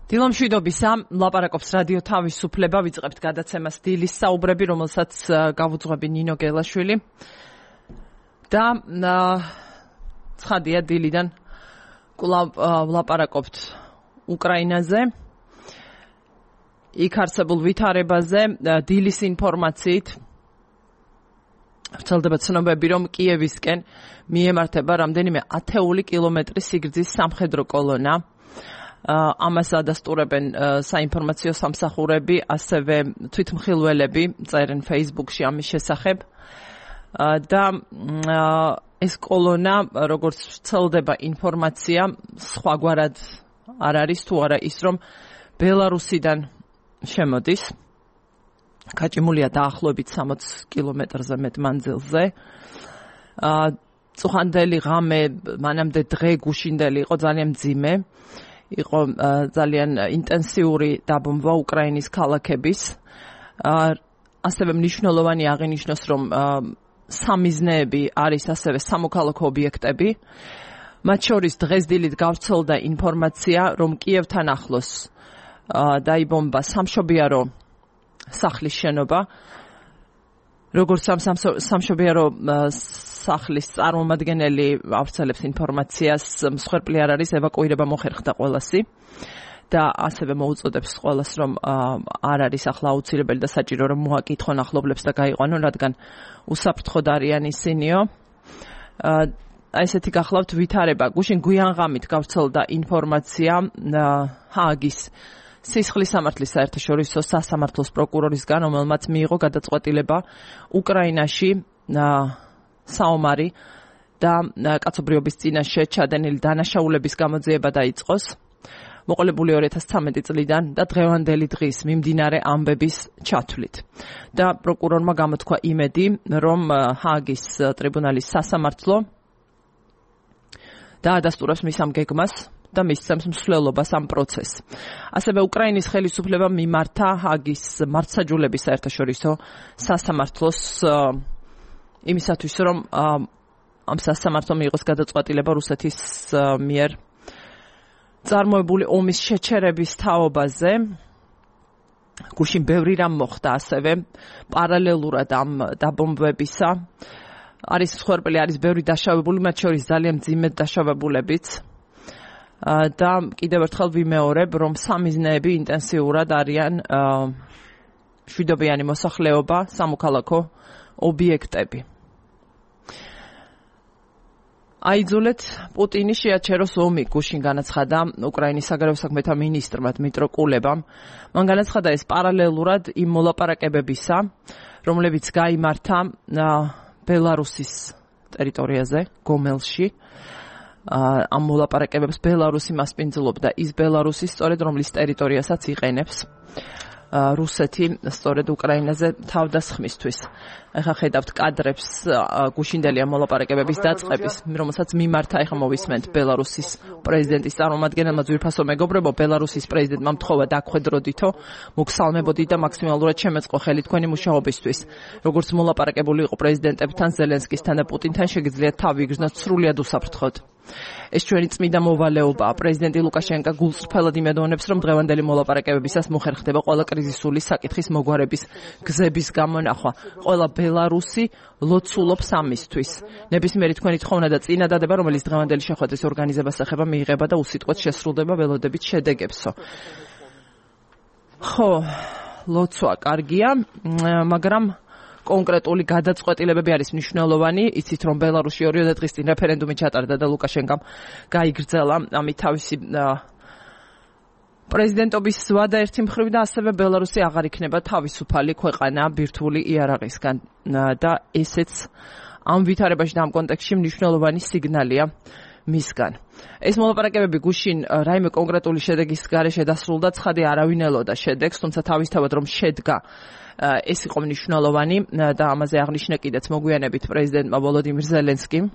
დილომშვიდობისა, ლაპარაკობს რადიო თავისუფლება, ვიწყებთ გადაცემას დილის საუბრები, რომელსაც გავუძღვები ნინო გელაშვილი. და ცხადია დილიდან კვლავ ვლაპარაკობთ უკრაინაზე, იქ არსებულ ვითარებაზე, დილის ინფორმაციით. ვრცელდება ცნობები, რომ კიევისკენ მიემართება რამდენიმე ათეული კილომეტრის სიგრძის სამხედრო კოლონა. ამას ადასტურებენ საინფორმაციო სამსახურები, ასევე თვითმხილველები წერენ Facebook-ში ამის შესახებ. და ეს კოლონა, როგორც ვრცელდება ინფორმაცია, სხვაგვარად არ არის თუ არა ის, რომ ბელარუსიდან შემოდის. გაჭიმულია დაახლოებით 60 კილომეტრზე მეტ მანძილზე. წუხანდელი ღამე, მანამდე დღე გუშინდელი იყო ძალიან მძიმე. იყო ძალიან ინტენსიური დაბომბვა უკრაინის ქალაქების. ასევე მნიშვნელოვანი აღინიშნოს, რომ სამიზნეები არის ასევე სამოქალაქო ობიექტები. მათ შორის დღეს დილით გავრცელდა ინფორმაცია, რომ კიევთან ახლოს დაიბომბა სამშობიარო სახლის შენობა. როგორც სამშობიარო სახლის წარმომადგენელი ავრცელებს ინფორმაციას, მსხვერპლი არ არის, ევაკუირება მოხერხდა ყველასი. და ასევე მოუწოდებს ყველას, რომ არ არის ახლა აუცილებელი და საჭირო, რომ მოაკითხონ ახლობლებს და გაიყვანონ, რადგან უსაფრთხოდ არიან ისინიო. ესეთი გახლავთ ვითარება. გუშინ გვიანღამით გავრცელდა ინფორმაცია ჰააგის სისხლის სამართლის საერთაშორისო სასამართლოს პროკურორისგან, რომელმაც მიიღო გადაწყვეტილება უკრაინაში საომარი და კაცობრიობის წინაშე ჩადენილი დანაშაულების გამოძიება დაიწყოს. მოყოლებული 2013 წლიდან და დღევანდელი დღის მიმდინარე ამბების ჩათვლით. და პროკურორმა გამოთქვა იმედი, რომ ჰააგის ტრიბუნალის სასამართლო დაადასტურებს მის ამ გეგმას და მისცემს მსვლელობას ამ პროცესს. ასევე უკრაინის ხელისუფლებამ მიმართა ჰააგის მართლმსაჯულების საერთაშორისო სასამართლოს იმისათვის, რომ ამ სასამართლომ მიიღოს გადაწყვეტილება რუსეთის მიერ წარმოებული ომის შეჩერების თაობაზე. გუშინ ბევრი რამ მოხდა ასევე პარალელურად ამ დაბომბვებისა. არის მსხვერპლი, არის ბევრი დაშავებული, მათ შორის ძალიან მძიმე დაშავებულებიც. და კიდევ ერთხელ ვიმეორებ, რომ სამიზნეები ინტენსიურად არიან მშვიდობიანი მოსახლეობა, სამოქალაქო ობიექტები. აიძულეთ პუტინი შეაჩეროს ომი, გუშინ განაცხადა უკრაინის საგარეო საქმეთა მინისტრმა დმიტრო კულებამ. მან განაცხადა ეს პარალელურად იმ მოლაპარაკებებისა, რომლებიც გაიმართა ბელარუსის ტერიტორიაზე, გომელში. ამ მოლაპარაკებებს ბელარუსი მასპინძლობდა, ის ბელარუსი სწორედ რომლის ტერიტორიასაც იყენებს რუსეთი სწორედ უკრაინაზე თავდასხმისთვის. ახლა ხედავთ კადრებს გუშინდელი ამ მოლაპარაკებების დაწყების, რომელსაც მიმართა, ახლა მოვისმენთ ბელარუსის პრეზიდენტის წარმომადგენელმა ძვირფასო მეგობრებო, ბელარუსის პრეზიდენტმა მთხოვა დაგხვედროდითო, მოგსალმებოდით და მაქსიმალურად შემეწყო ხელი თქვენი მუშაობისთვის. როგორც მოლაპარაკებული იყო პრეზიდენტებთან, ზელენსკისთან და პუტინთან, შეგიძლიათ თავი იგრძნოთ სრულიად უსაფრთხოდ. ეს ჩვენი წმინდა მოვალეობაა. პრეზიდენტი ლუკაშენკა გულწრფელად იმედოვნებს, რომ დღევანდელი მოლაპარაკებებისას მოხერხდება ყველა კრიზისული საკითხის მოგვარების გზების გამონახვა. ყველა ბელარუსი ლოცულობს ამისთვის. ნებისმიერი თქვენი თხოვნა და წინადადება, რომელიც დღევანდელი შეხვედრის ორგანიზებას ეხება, მიიღება და უსიტყვოდ შესრულდება ველოდებით შედეგებსო. ხო, ლოცვა კარგია, მაგრამ კონკრეტული გადაწყვეტილებები არის მნიშვნელოვანი. იცით, რომ ბელარუსში 2 დღის წინ რეფერენდუმი ჩატარდა და ლუკაშენკამ გაიგრძელა ამით თავისი პრეზიდენტობის ვადა ერთი მხრივ და ასევე ბელარუსი აღარ იქნება თავისუფალი ქვეყანა ბირთვული იარაღისგან. და ესეც ამ ვითარებაში და ამ კონტექსტში მნიშვნელოვანი სიგნალია მისგან. ეს მოლაპარაკებები გუშინ რაიმე კონკრეტული შედეგის გარეშე დასრულდა, ცხადი არავინ ელოდა შედეგს, თუმცა თავისთავად რომ შედგა ეს იყო მნიშვნელოვანი და ამაზე აღნიშნა კიდეც მოგვიანებით პრეზიდენტმა ვოლოდიმირ ზელენსკიმ.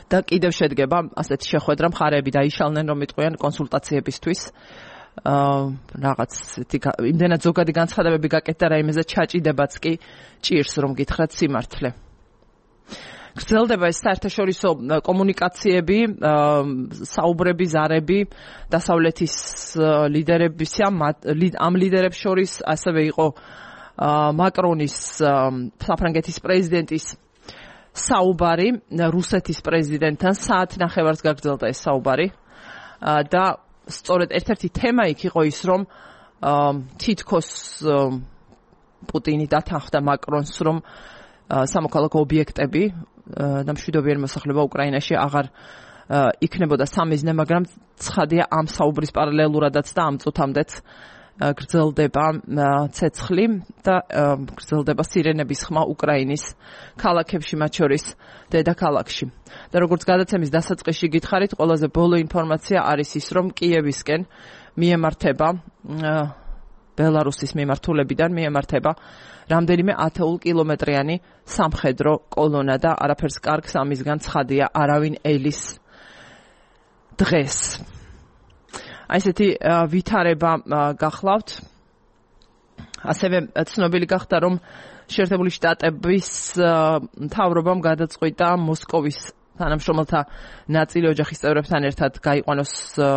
და კიდევ შედგება ასეთი შეხვედრა, მხარეები დაიშალნენ, რომ იტყვიან კონსულტაციებისთვის. რაღაც იმდენად ზოგადი განცხადებები გაკეთდა რაიმეზე ჩაჭიდებაც კი ჭირს, რომ გითხრათ სიმართლე. გრძელდება ეს საერთაშორისო კომუნიკაციები, საუბრები, ზარები დასავლეთის ლიდერებისა, ამ ლიდერებს შორის ასევე იყო მაკრონის საფრანგეთის პრეზიდენტის საუბარი რუსეთის პრეზიდენტთან საათნახევარს გაგრძელდა ეს საუბარი და სწორედ ერთ-ერთი თემა იქ იყო ის რომ თითქოს პუტინი დათანხმდა მაკრონს რომ სამოქალაქო ობიექტები და მშვიდობიანი მოსახლეობა უკრაინაში აღარ იქნებოდა სამიზნე, მაგრამ ცხადია ამ საუბრის პარალელურადაც და ამ წუთამდეც გრძელდება ცეცხლი და გრძელდება სირენების ხმა უკრაინის ქალაქებში, მათ შორის დედაქალაქში. და როგორც გადაცემის დასაწყისში გითხარით, ყველაზე ბოლო ინფორმაცია არის ის, რომ კიევისკენ მიემართება ბელარუსის მიმართულებიდან მიემართება რამდენიმე 10 კილომეტრიანი სამხედრო კოლონა და არაფერს კარგს ამისგან ცხადია არავინ ელის დღეს. აი ესეთი ვითარება გახლავთ. ასევე ცნობილი გახდა, რომ შეერთებული შტატების მთავრობამ გადაწყვიტა მოსკოვის თანამშრომელთა ნაწილი ოჯახის წევრებთან ერთად გაიყვანოს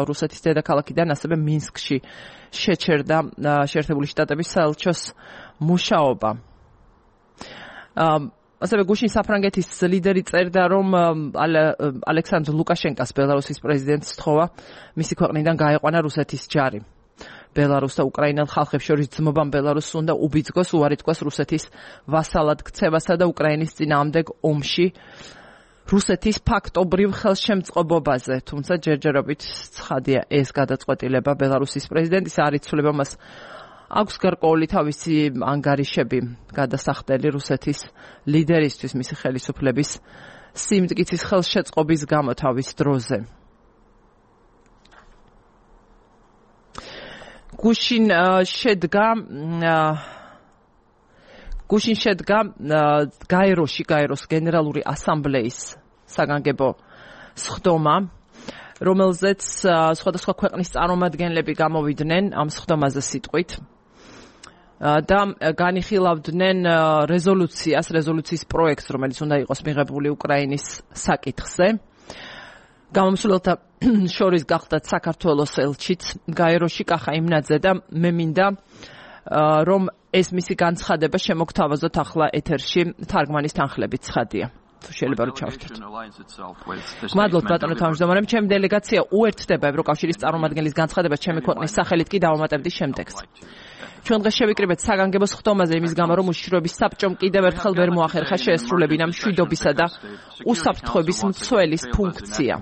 რუსეთის დედაქალაქიდან, ასევე მინსკში შეჩერდა შეერთებული შტატების საელჩოს მუშაობა. ასევე გუშინ საფრანგეთის ლიდერი წერდა, რომ ალექსანდრ ლუკაშენკას ბელარუსის პრეზიდენტს სთხოვა მისი ქვეყნიდან გაეყვანა რუსეთის ჯარი. ბელარუს და უკრაინელ ხალხებს შორის ძმობამ ბელარუსს უნდა უბიძგოს, უარი თქვას რუსეთის ვასალად ქცევასა და უკრაინის წინააღმდეგ ომში რუსეთის ფაქტობრივ ხელშემწყობობაზე. თუმცა ჯერჯერობით ცხადია ეს გადაწყვეტილება ბელარუსის პრეზიდენტის არ იცვლება, მას აქვს გარკვეული თავისი ანგარიშები გადასახდელი რუსეთის ლიდერისთვის მისი ხელისუფლების სიმტკიცის ხელშეწყობის გამო თავის დროზე. გუშინ შედგა გაეროს გენერალური ასამბლეის საგანგებო სხდომა, რომელზეც სხვადასხვა ქვეყნის წარმომადგენლები გამოვიდნენ ამ სხდომაზე სიტყვით და განიხილავდნენ რეზოლუციის პროექტს, რომელიც უნდა იყოს მიღებული უკრაინის საკითხზე. გამომსვლელთა შორის გახდათ საქართველოს ელჩიც გაეროში კახა იმნაძე და მე მინდა რომ ეს მისი განცხადება შემოგთავაზოთ ახლა ეთერში თარგმანის თანხლებით ცხადია. თუ შეიძლება რომ ჩავთვალოთ. მადლობთ ბატონო თავმჯდომარე, ჩემი დელეგაცია უერთდება ევროკავშირის წარმომადგენლის განცხადებას ჩემი ქვეყნის სახელით კი დავამატებდი შემდეგს. ჩვენ დღეს შევიკრიბეთ საგანგებო სხდომაზე იმის გამო, რომ უშიშროების საბჭომ კიდევ ერთხელ ვერ მოახერხა შეესრულებინა მშვიდობისა და უსაფრთხოების მცველის ფუნქცია.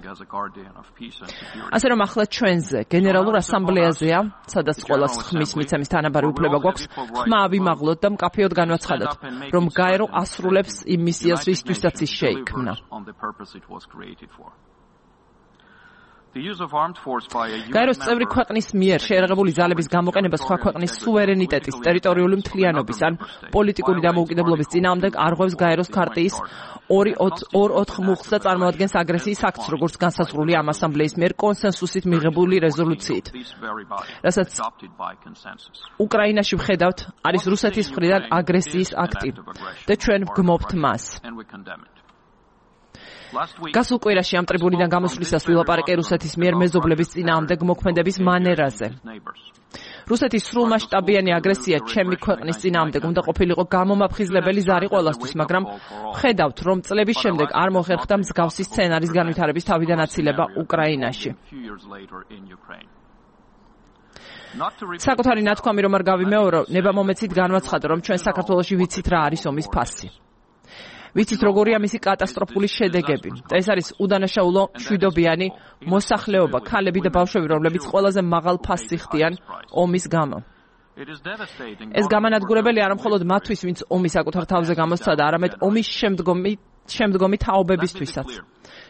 ასე რომ ახლა ჩვენზე გენერალურ ასამბლეაზეა, სადაც ყველას ხმის მიცემის თანაბარი უფლება გვაქვს, ხმა ავიმაღლოთ და მკაფიოდ განვაცხადოთ, რომ გაერო ასრულებს იმ მისიას, რისთვისაც ის შეიქმნა. გაეროს წევრი ქვეყნის მიერ შეერაღებული ზალების გამოყენება სხვა ქვეყნის სუვერენიტეტის, ტერიტორიული მთლიანობის ან პოლიტიკური დამოუკიდებლობის წინააღმდეგ არღვევს გაეროს ქარტიის 2.4 მუხლს და წარმოადგენს აგრესიის აქტს, როგორც განსაზღვრული ამ ასამბლეის მიერ კონსენსუსით მიღებული რეზოლუციით. რასაც უკრაინაში ვხედავთ, არის რუსეთის მხრიდან აგრესიის აქტი და ჩვენ ვგმობთ მას. გასულ კვირაში ამ ტრიბუნიდან გამოსვლისას ვილაპარაკე რუსეთის მიერ მეზობლების წინააღმდეგ მოქმედების მანერაზე. რუსეთის სრულმასშტაბიანი აგრესია ჩემი ქვეყნის წინააღმდეგ უნდა ყოფილიყო გამომაფხიზლებელი ზარი ყველასთვის, მაგრამ ვხედავთ, რომ წლების შემდეგ არ მოხერხდა მსგავსი სცენარის განვითარების თავიდან აცილება უკრაინაში. საკუთარი ნათქვამი რომ არ გავიმეორო, ნება მომეცით განვაცხადო, რომ ჩვენ საქართველოში ვიცით რა არის ომის ფასი. ვიცით როგორია მისი კატასტროფული შედეგები და ეს არის უდანაშაულო მშვიდობიანი მოსახლეობა, ქალები და ბავშვები, რომლებიც ყველაზე მაღალ ფასს იხდიან ომის გამო. ეს გამანადგურებელი არა მხოლოდ მათთვის, ვინც ომის საკუთარ თავზე გამოსცადა, არამედ ომის შემდგომი თაობებისთვისაც.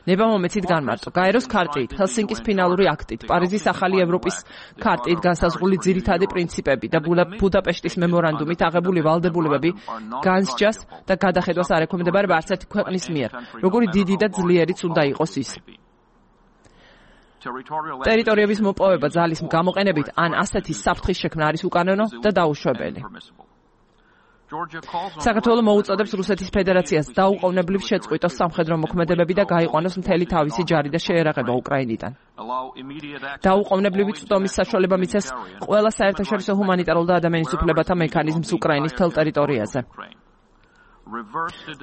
ნება მომეცით განმარტო. გაეროს ქარტიით, ჰელსინკის ფინალური აქტით, პარიზის ახალი ევროპის ქარტიით განსაზღვრული ძირითადი პრინციპები და ბუდაპეშტის მემორანდუმით აღებული ვალდებულებები განსჯას და გადახედვას არ ექვემდებარება არც ერთი ქვეყნის მიერ, როგორი დიდი და ძლიერიც უნდა იყოს ის. ტერიტორიების მოპოვება ძალის გამოყენებით ან ასეთი საფრთხის შექმნა არის უკანონო და დაუშვებელი. საქართველო მოუწოდებს რუსეთის ფედერაციას დაუყოვნებლივ შეწყვიტოს სამხედრო მოქმედებები და გაიყვანოს მთელი თავისი ჯარი და შეერაღება უკრაინიდან. დაუყოვნებლივი წვდომის საშუალება მიცეს ყველა საერთაშორისო ჰუმანიტარულ და ადამიანის უფლებათა მექანიზმს უკრაინის მთელ ტერიტორიაზე.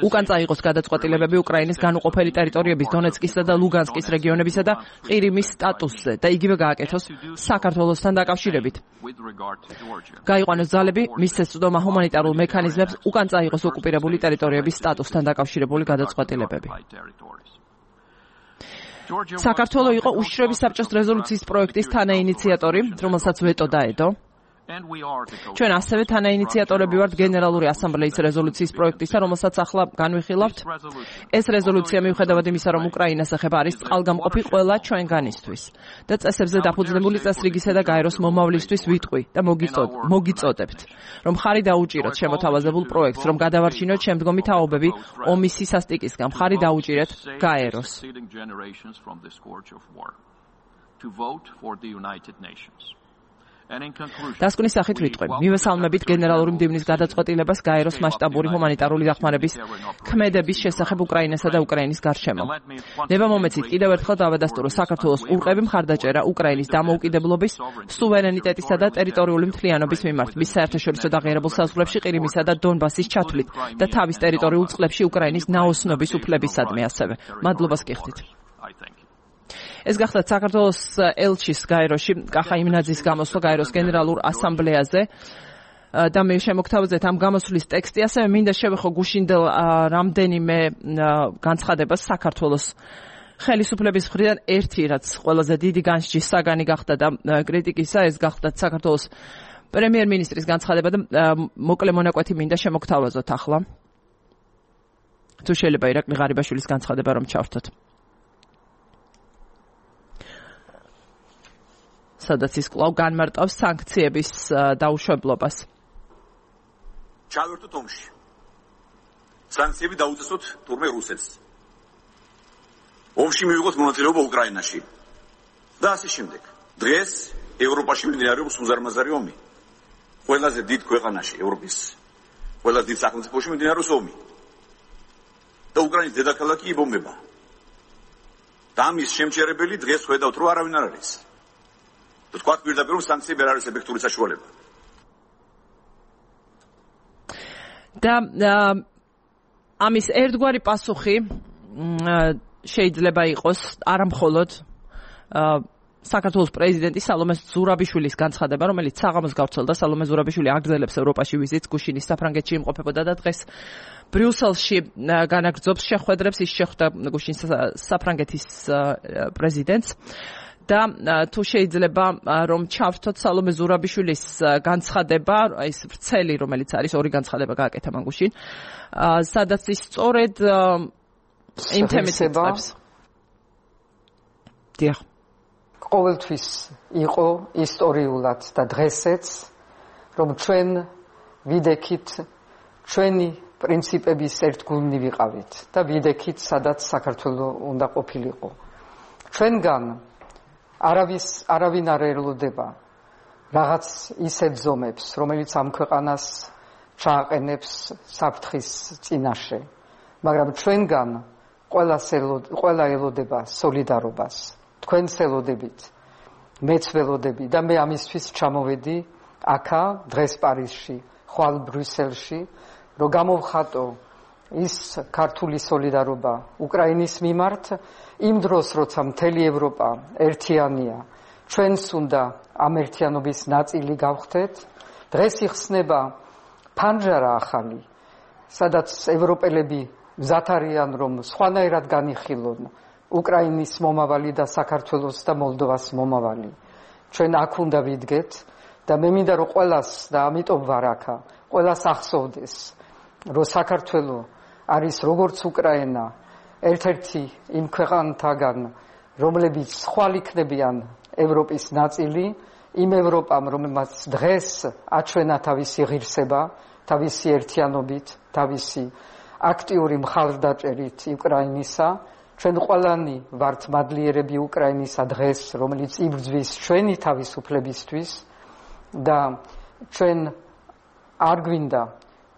უკან წაიღოს გადაწყვეტილებები უკრაინის განუყოფელი ტერიტორიების დონეცკისა და ლუგანსკის რეგიონებისა და ყირიმის სტატუსზე და იგივე გააკეთოს საქართველოსთან დაკავშირებით. გაიყვანოს ძალები, მისცეს წვდომა ჰუმანიტარულ მექანიზმებს, უკან წაიღოს ოკუპირებული ტერიტორიების სტატუსთან დაკავშირებული გადაწყვეტილებები. საქართველო იყო უშიშროების საბჭოს რეზოლუციის პროექტის თანაინიციატორი, რომელსაც ვეტო დაედო. ჩვენ ასევე თანაინიციატორები ვართ გენერალური ასამბლეის რეზოლუციის პროექტისა, რომელსაც ახლა განვიხილავთ. ეს რეზოლუცია მიუხედავად იმისა, რომ უკრაინას ეხება, არის წყალგამყოფი ყველა ჩვენგანისთვის და წესებზე დაფუძნებული წესრიგისა და გაეროს მომავლისთვის ვიტყვი და მოგიწოდებთ, რომ ხარი დაუჭიროთ შემოთავაზებულ პროექტს, რომ გადავარჩინოთ შემდგომი თაობები ომის სისასტიკისგან, ხარი დაუჭირეთ გაეროს. დასკვნის სახით ვიტყვი. მივესალმებით გენერალური მდივნის გადაწყვეტილებას გაეროს მასშტაბური ჰუმანიტარული დახმარების ქმედების შესახებ უკრაინასა და უკრაინის გარშემო. ნება მომეცით კიდევ ერთხელ დავადასტურო საქართველოს ყურყები მხარდაჭერა უკრაინის დამოუკიდებლობის, სუვერენიტეტისა და ტერიტორიული მთლიანობის მიმართ, მის საერთაშორისო დაღიარებულ საზღვრებში ყირიმისა და დონბასის ჩათვლით და თავის ტერიტორიულ წყლებში უკრაინის ნაოსნობის უფლებისადმი ასევე. მადლობას გიხდით. ეს გახლავთ საქართველოს ელჩის გაეროში კახა იმნაძის გამოსვლა გაეროს გენერალურ ასამბლეაზე და მე შემოგთავაზეთ ამ გამოსვლის ტექსტი, ასევე მინდა შევეხო გუშინდელ რამდენიმე განცხადებას საქართველოს ხელისუფლების მხრიდან. ერთი, რაც ყველაზე დიდი განსჯის საგანი გახდა და კრიტიკისა, ეს გახლავთ საქართველოს პრემიერ-მინისტრის განცხადება და მოკლე მონაკვეთი მინდა შემოგთავაზოთ ახლა. თუ შეიძლება ირაკლი ღარიბაშვილის განცხადება რომ ჩავრთოთ. სადაც ის კვლავ განმარტავს სანქციების დაუშვებლობას. ჩავერთოთ ომში. სანქციები დაუწესოთ თურმე რუსეთს. ომში მივიღოთ მონაწილეობა უკრაინაში. და ასე შემდეგ. დღეს ევროპაში მიმდინარეობს უზარმაზარი ომი. ყველაზე დიდ ქვეყანაში, ევროპის ყველაზე დიდ სახელმწიფოში მიმდინარეობს ომი. და უკრაინის დედაქალაქი იბომბება. და ამის შემჩერებელი დღეს ხედავთ, რომ არავინ არ არის. თქვა პირდაპირ რომ სანქციები არ არის ეფექტური საშუალება. და ამის ერთგვარი პასუხი შეიძლება იყოს არამხოლოდ საქართველოს პრეზიდენტი სალომე ზურაბიშვილის განცხადება, რომელიც საღამოს გავრცელდა. სალომე ზურაბიშვილი აგრძელებს ევროპაში ვიზიტს, გუშინის საფრანგეთში იმყოფებოდა და დღეს ბრიუსელში განაგრძობს შეხვედრებს. ის შეხვდა გუშინის საფრანგეთის პრეზიდენტს. და თუ შეიძლება რომ ჩავრთოთ სალომე ზურაბიშვილის განცხადება, ის ვრცელი, რომელიც არის ორი განცხადება გააკეთა მან გუშინ, სადაც ის სწორედ იმ თემით იწყებს. დიახ. ყოველთვის იყო ისტორიულად და დღესაც, რომ ჩვენ ვიდექით ჩვენი პრინციპების ერთგულნი ვიყავით და ვიდექით, სადაც საქართველო უნდა ყოფილიყო. ჩვენგან არავინ არ ელოდება რაღაც ისეთ ზომებს, რომელიც ამ ქვეყანას ჩააყენებს საფრთხის წინაშე, მაგრამ ჩვენგან ყველა ელოდება სოლიდარობას. თქვენს ელოდებით, მეც ველოდები და მე ამისთვის ჩამოვედი აქა დღეს პარიზში, ხვალ ბრიუსელში, რომ გამოვხატო ის ქართული სოლიდარობა უკრაინის მიმართ, იმ დროს, როცა მთელი ევროპა ერთიანია, ჩვენს უნდა ამ ერთიანობის ნაწილი გავხდეთ. დღეს იხსნება ფანჯარა ახალი, სადაც ევროპელები მზად არიან, რომ სხვანაირად განიხილონ უკრაინის მომავალი და საქართველოს და მოლდოვას მომავალი. ჩვენ აქ უნდა ვიდგეთ და მე მინდა რომ ყველას და ამიტომ ვარ აქა, ყველას ახსოვდეს, რომ საქართველო არის როგორც უკრაინა, ერთ-ერთი იმ ქვეყანთაგან, რომლებიც ხვალ იქნებიან ევროპის ნაწილი, იმ ევროპამ, რომელმაც დღეს აჩვენა თავისი ღირსება, თავისი ერთიანობით, თავისი აქტიური მხარდაჭერით უკრაინისა. ჩვენ ყველანი ვართ მადლიერები უკრაინისა დღეს, რომელიც იბრძვის ჩვენი თავისუფლებისთვის და ჩვენ არ გვინდა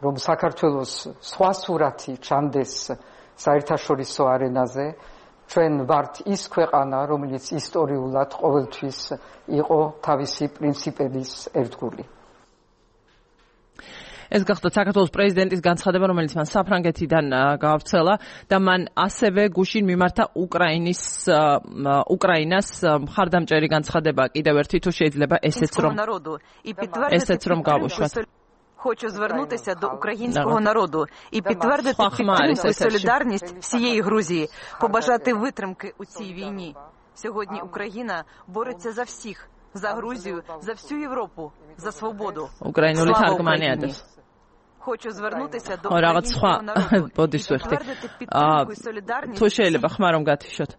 რომ საქართველოს სხვა სურათი ჩანდეს საერთაშორისო არენაზე, ჩვენ ვართ ის ქვეყანა, რომელიც ისტორიულად ყოველთვის იყო თავისი პრინციპების ერთგული. ეს გახდა საქართველოს პრეზიდენტის განცხადება, რომელიც მან საფრანგეთიდან გაავრცელა და მან ასევე გუშინ მიმართა უკრაინას მხარდამჭერი განცხადება კიდევ ერთი თუ შეიძლება ესეც რომ გავუშვათ. Хочу звернутися до українського народу і підтвердити підтримку і солідарність всієї Грузії, побажати витримки у цій війні. Сьогодні Україна бореться за всіх, за Грузію, за всю Європу, за свободу. Слава Україні! Хочу звернутися до українського народу і підтвердити підтримку і солідарність. თუ შეიძლება ხმა რომ გათიშოთ.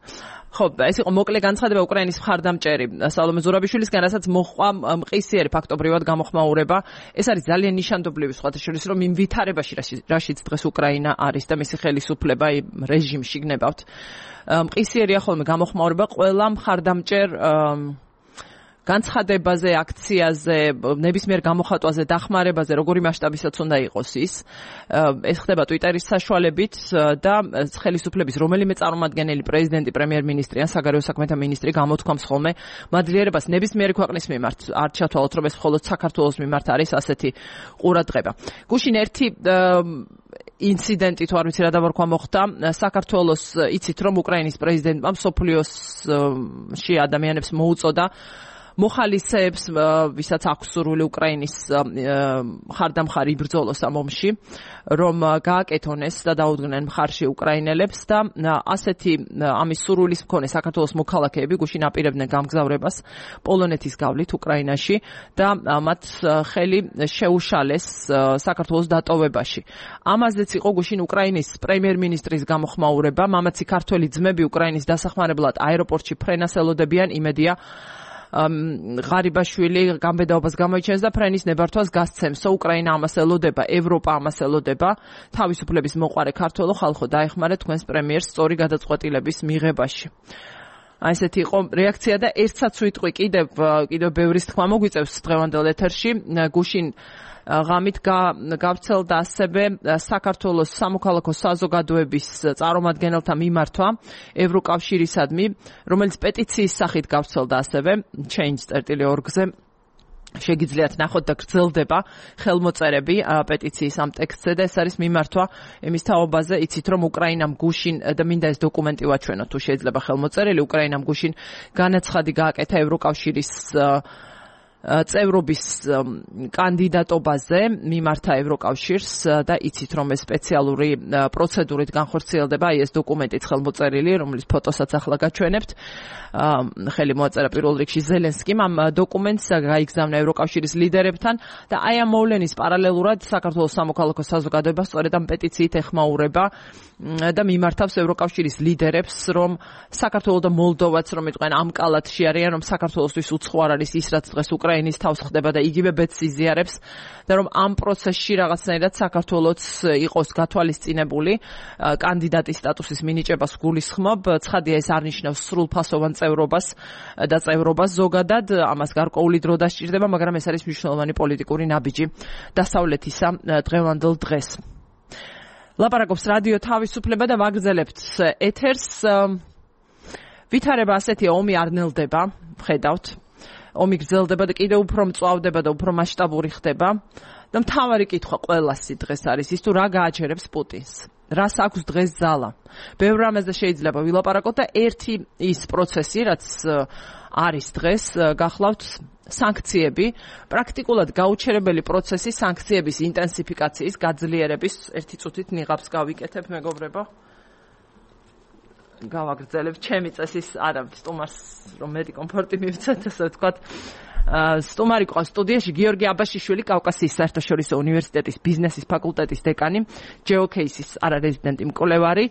ხო, ეს იყო მოკლე განცხადება უკრაინის მხარდამჭერი სალომე ზურაბიშვილისგან, რასაც მოჰყვა მყისიერი ფაქტობრივად გამოხმაურება. ეს არის ძალიან ნიშანდობლივი სხვათა შორის, რომ იმ ვითარებაში, რაშიც დღეს უკრაინა არის და მისი ხელისუფლება რეჟიმში გნებავთ. მყისიერია ხოლმე გამოხმაურება ყველა მხარდამჭერ განცხადებაზე, აქციაზე, ნებისმიერ გამოხატვაზე, დახმარებაზე, როგორი მასშტაბისაც უნდა იყოს ის. ეს ხდება ტვიტერის საშუალებით და ხელისუფლების რომელიმე წარმომადგენელი, პრეზიდენტი, პრემიერ-მინისტრი ან საგარეო საქმეთა მინისტრი გამოთქვამს ხოლმე მადლიერებას ნებისმიერი ქვეყნის მიმართ. არ ჩათვალოთ, რომ ეს მხოლოდ საქართველოს მიმართ არის ასეთი ყურადღება. გუშინ ერთი ინციდენტი თუ არ ვიცი რა დავარქვა მოხდა საქართველოს, იცით რომ უკრაინის პრეზიდენტმა მსოფლიოში ადამიანებს მოუწოდა მოხალისეებს, ვისაც აქვს სურვილი უკრაინის მხარდამხარი იბრძოლოს ამ ომში, რომ გააკეთონ ეს და დაუდგნენ მხარში უკრაინელებს და ასეთი ამის სურვილის მქონე საქართველოს მოქალაქეები გუშინ აპირებდნენ გამგზავრებას პოლონეთის გავლით უკრაინაში და მათ ხელი შეუშალეს საქართველოს დატოვებაში. ამაზეც იყო გუშინ უკრაინის პრემიერ-მინისტრის გამოხმაურება, მამაცი ქართველი ძმები უკრაინის დასახმარებლად აეროპორტში ფრენას ელოდებიან, იმედია ღარიბაშვილი გამბედაობას გამოიჩენს და ფრენის ნებართვას გასცემს. უკრაინა ამას ელოდება, ევროპა ამას ელოდება. თავისუფლების მოყვარე ქართველო ხალხო, დაეხმარეთ თქვენს პრემიერს სწორი გადაწყვეტილების მიღებაში. აი ესეთი იყო რეაქცია და ერთსაც ვიტყვი კიდევ ბევრის თქმა მოგვიწევს დღევანდელ ეთერში. გუშინ ღამით გავრცელდა ასევე საქართველოს სამოქალაქო საზოგადოების წარმომადგენელთა მიმართვა ევროკავშირისადმი, რომელიც პეტიციის სახით გავრცელდა ასევე change.org-ზე. შეგიძლიათ ნახოთ და გრძელდება ხელმოწერები პეტიციის ამ ტექსტზე და ეს არის მიმართვა იმის თაობაზე, იცით რომ უკრაინამ გუშინ და მინდა ეს დოკუმენტი ვაჩვენოთ თუ შეიძლება ხელმოწერილი, უკრაინამ გუშინ განაცხადი გააკეთა ევროკავშირის წევრობის კანდიდატობაზე მიმართა ევროკავშირს და იცით რომ ეს სპეციალური პროცედურით განხორციელდება, აი ეს დოკუმენტიც ხელმოწერილი, რომლის ფოტოსაც ახლა გაჩვენებთ. ხელი მოაწერა პირველ რიგში ზელენსკიმ ამ დოკუმენტს გაიგზავნა ევროკავშირის ლიდერებთან და აი ამ მოვლენის პარალელურად საქართველოს სამოქალაქო საზოგადოება სწორედ ამ პეტიციით ეხმაურება და მიმართავს ევროკავშირის ლიდერებს, რომ საქართველო და მოლდოვაც რომ იყვნენ ამ კალათში არიან, რომ საქართველოსთვის უცხო არ არის ის, რაც დღეს უკრაინის თავს ხდება და იგივე ბედს იზიარებს და რომ ამ პროცესში რაღაცნაირად საქართველოც იყოს გათვალისწინებული კანდიდატის სტატუსის მინიჭებას გულისხმობ. ცხადია, ეს არ ნიშნავს სრულფასოვან წევრობას და წევრობას ზოგადად, ამას გარკვეული დრო დასჭირდება, მაგრამ ეს არის მნიშვნელოვანი პოლიტიკური ნაბიჯი დასავლეთისა დღევანდელ დღეს. ლაპარაკობს რადიო თავისუფლება და ვაგრძელებთ ეთერს. ვითარება ასეთია, ომი არ ნელდება, ხედავთ. ომი გრძელდება და კიდევ უფრო მწვავდება და უფრო მასშტაბური ხდება. და მთავარი კითხვა ყველასი დღეს არის ის, თუ რა გააჩერებს პუტინს. რას აქვს დღეს ძალა. ბევრ რამეზე შეიძლება ვილაპარაკოთ და ერთი ის პროცესი, რაც არის დღეს, გახლავთ სანქციები, პრაქტიკულად გაუჩერებელი პროცესი სანქციების ინტენსიფიკაციის, გაძლიერების. ერთი წუთით ნიღაბს გავიკეთებ, მეგობრებო. გავაგრძელებ ჩემი წესის, არა, სტუმარს რომ მეტი კომფორტი მივცეთ, ასე ვთქვათ. სტუმარი ყავს სტუდიაში გიორგი აბაშიშვილი, კავკასიის საერთაშორისო უნივერსიტეტის ბიზნესის ფაკულტეტის დეკანი, GeoCases არარეზიდენტი მკვლევარი,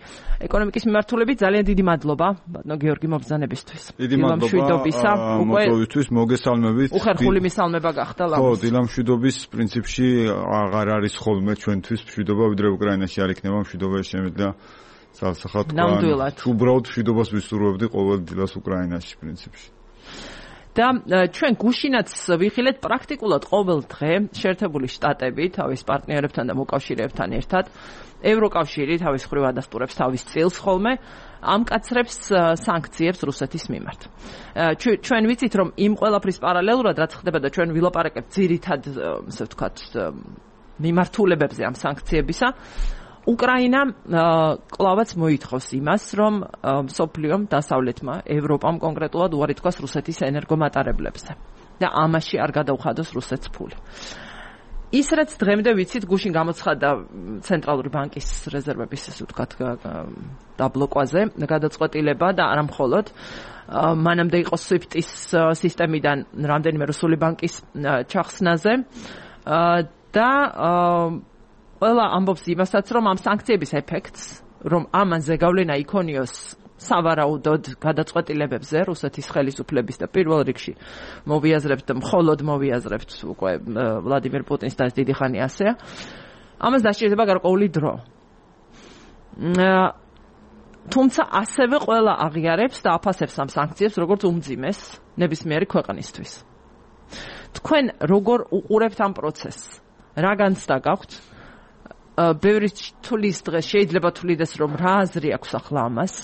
ეკონომიკის მიმართულებით. ძალიან დიდი მადლობა, ბატონო გიორგი, მობრძანებისთვის. დიდი მადლობა მოწვევისთვის, მოგესალმებით. უხერხული მისალმება გახდა ლამაზ. ხო, დილა მშვიდობის პრინციპში აღარ არის ხოლმე ჩვენთვის მშვიდობა, ვიდრე უკრაინაში არ იქნება მშვიდობა, შემიძლია ნამდვილად. უბრალოდ მშვიდობას ვისურვებდი ყოველ დილას უკრაინაში პრინციპში. და ჩვენ გუშინაც ვიხილეთ პრაქტიკულად ყოველ დღე შეერთებული შტატები თავის პარტნიორებთან და მოკავშირეებთან ერთად ევროკავშირი თავის მხრივ ადასტურებს თავის წილს ხოლმე ამკაცრებს სანქციებს რუსეთის მიმართ. ჩვენ ვიცით რომ იმ ყველაფრის პარალელურად რაც ხდება და ჩვენ ვილაპარაკებთ ძირითად ასე ვთქვათ მიმართულებებზე ამ სანქციებისა უკრაინა კლავაც მოითხოვს იმას, რომ მსოფლიომ დასავლეთმა, ევროპამ კონკრეტულად უარი თქვას რუსეთის ენერგომატარებლებზე და ამაში არ გადაუხადოს რუსეთს ფული. ის რაც დღემდე ვიცით, გუშინ გამოცხადა ცენტრალური ბანკის რეზერვების, ასე ვთქვათ, დაბლოკვაზე, გადაწყვეტილება და არა მხოლოდ მანამდე იყო SWIFT-ის სისტემიდან რამდენიმე რუსული ბანკის ჩახსნაზე და ყველა ამბობს იმასაც, რომ ამ სანქციების ეფექტს, რომ ამაზე გავლენა იქონიოს სავარაუდოდ გადაწყვეტილებებზე რუსეთის ხელისუფლების და პირველ რიგში მხოლოდ მოვიაზრებთ უკვე ვლადიმერ პუტინს და დიდი ხანი ასეა. ამას დასჭირდება გარკვეული დრო. თუმცა ასევე ყველა აღიარებს და აფასებს ამ სანქციებს როგორც უმძიმეს ნებისმიერი ქვეყნისთვის. თქვენ როგორ უყურებთ ამ პროცესს? რა განცდა გაქვთ? ბევრი თulis დღეს შეიძლება თulides რომ რა აზრი აქვს ახლა ამას?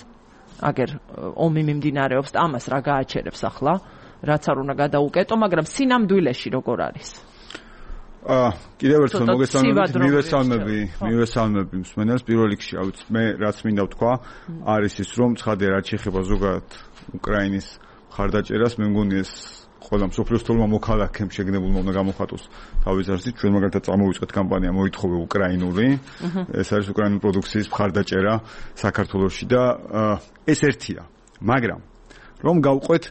აგერ ომი მიმდინარეობს და ამას რა გააჩერებს ახლა? რაც არ უნდა გადაუკეტო, მაგრამ სინამდვილეში როგორ არის? კიდევ ერთხელ მივესალმები მსმენელს პირველ რიგში, მე რაც მინდა ვთქვა, არის ის რომ ცხადია რაც შეეხება ზოგადად უკრაინის მხარდაჭერას, მე მგონი ეს ყველა მსოფლიოს თოლმა მოქალაქემ შეგნებულმა უნდა გამოხატოს თავის აზრით. ჩვენ მაგალითად წამოვიწყეთ კამპანია მოითხოვე უკრაინული, ეს არის უკრაინული პროდუქციის მხარდაჭერა საქართველოში და ეს ერთია. მაგრამ რომ გავყვეთ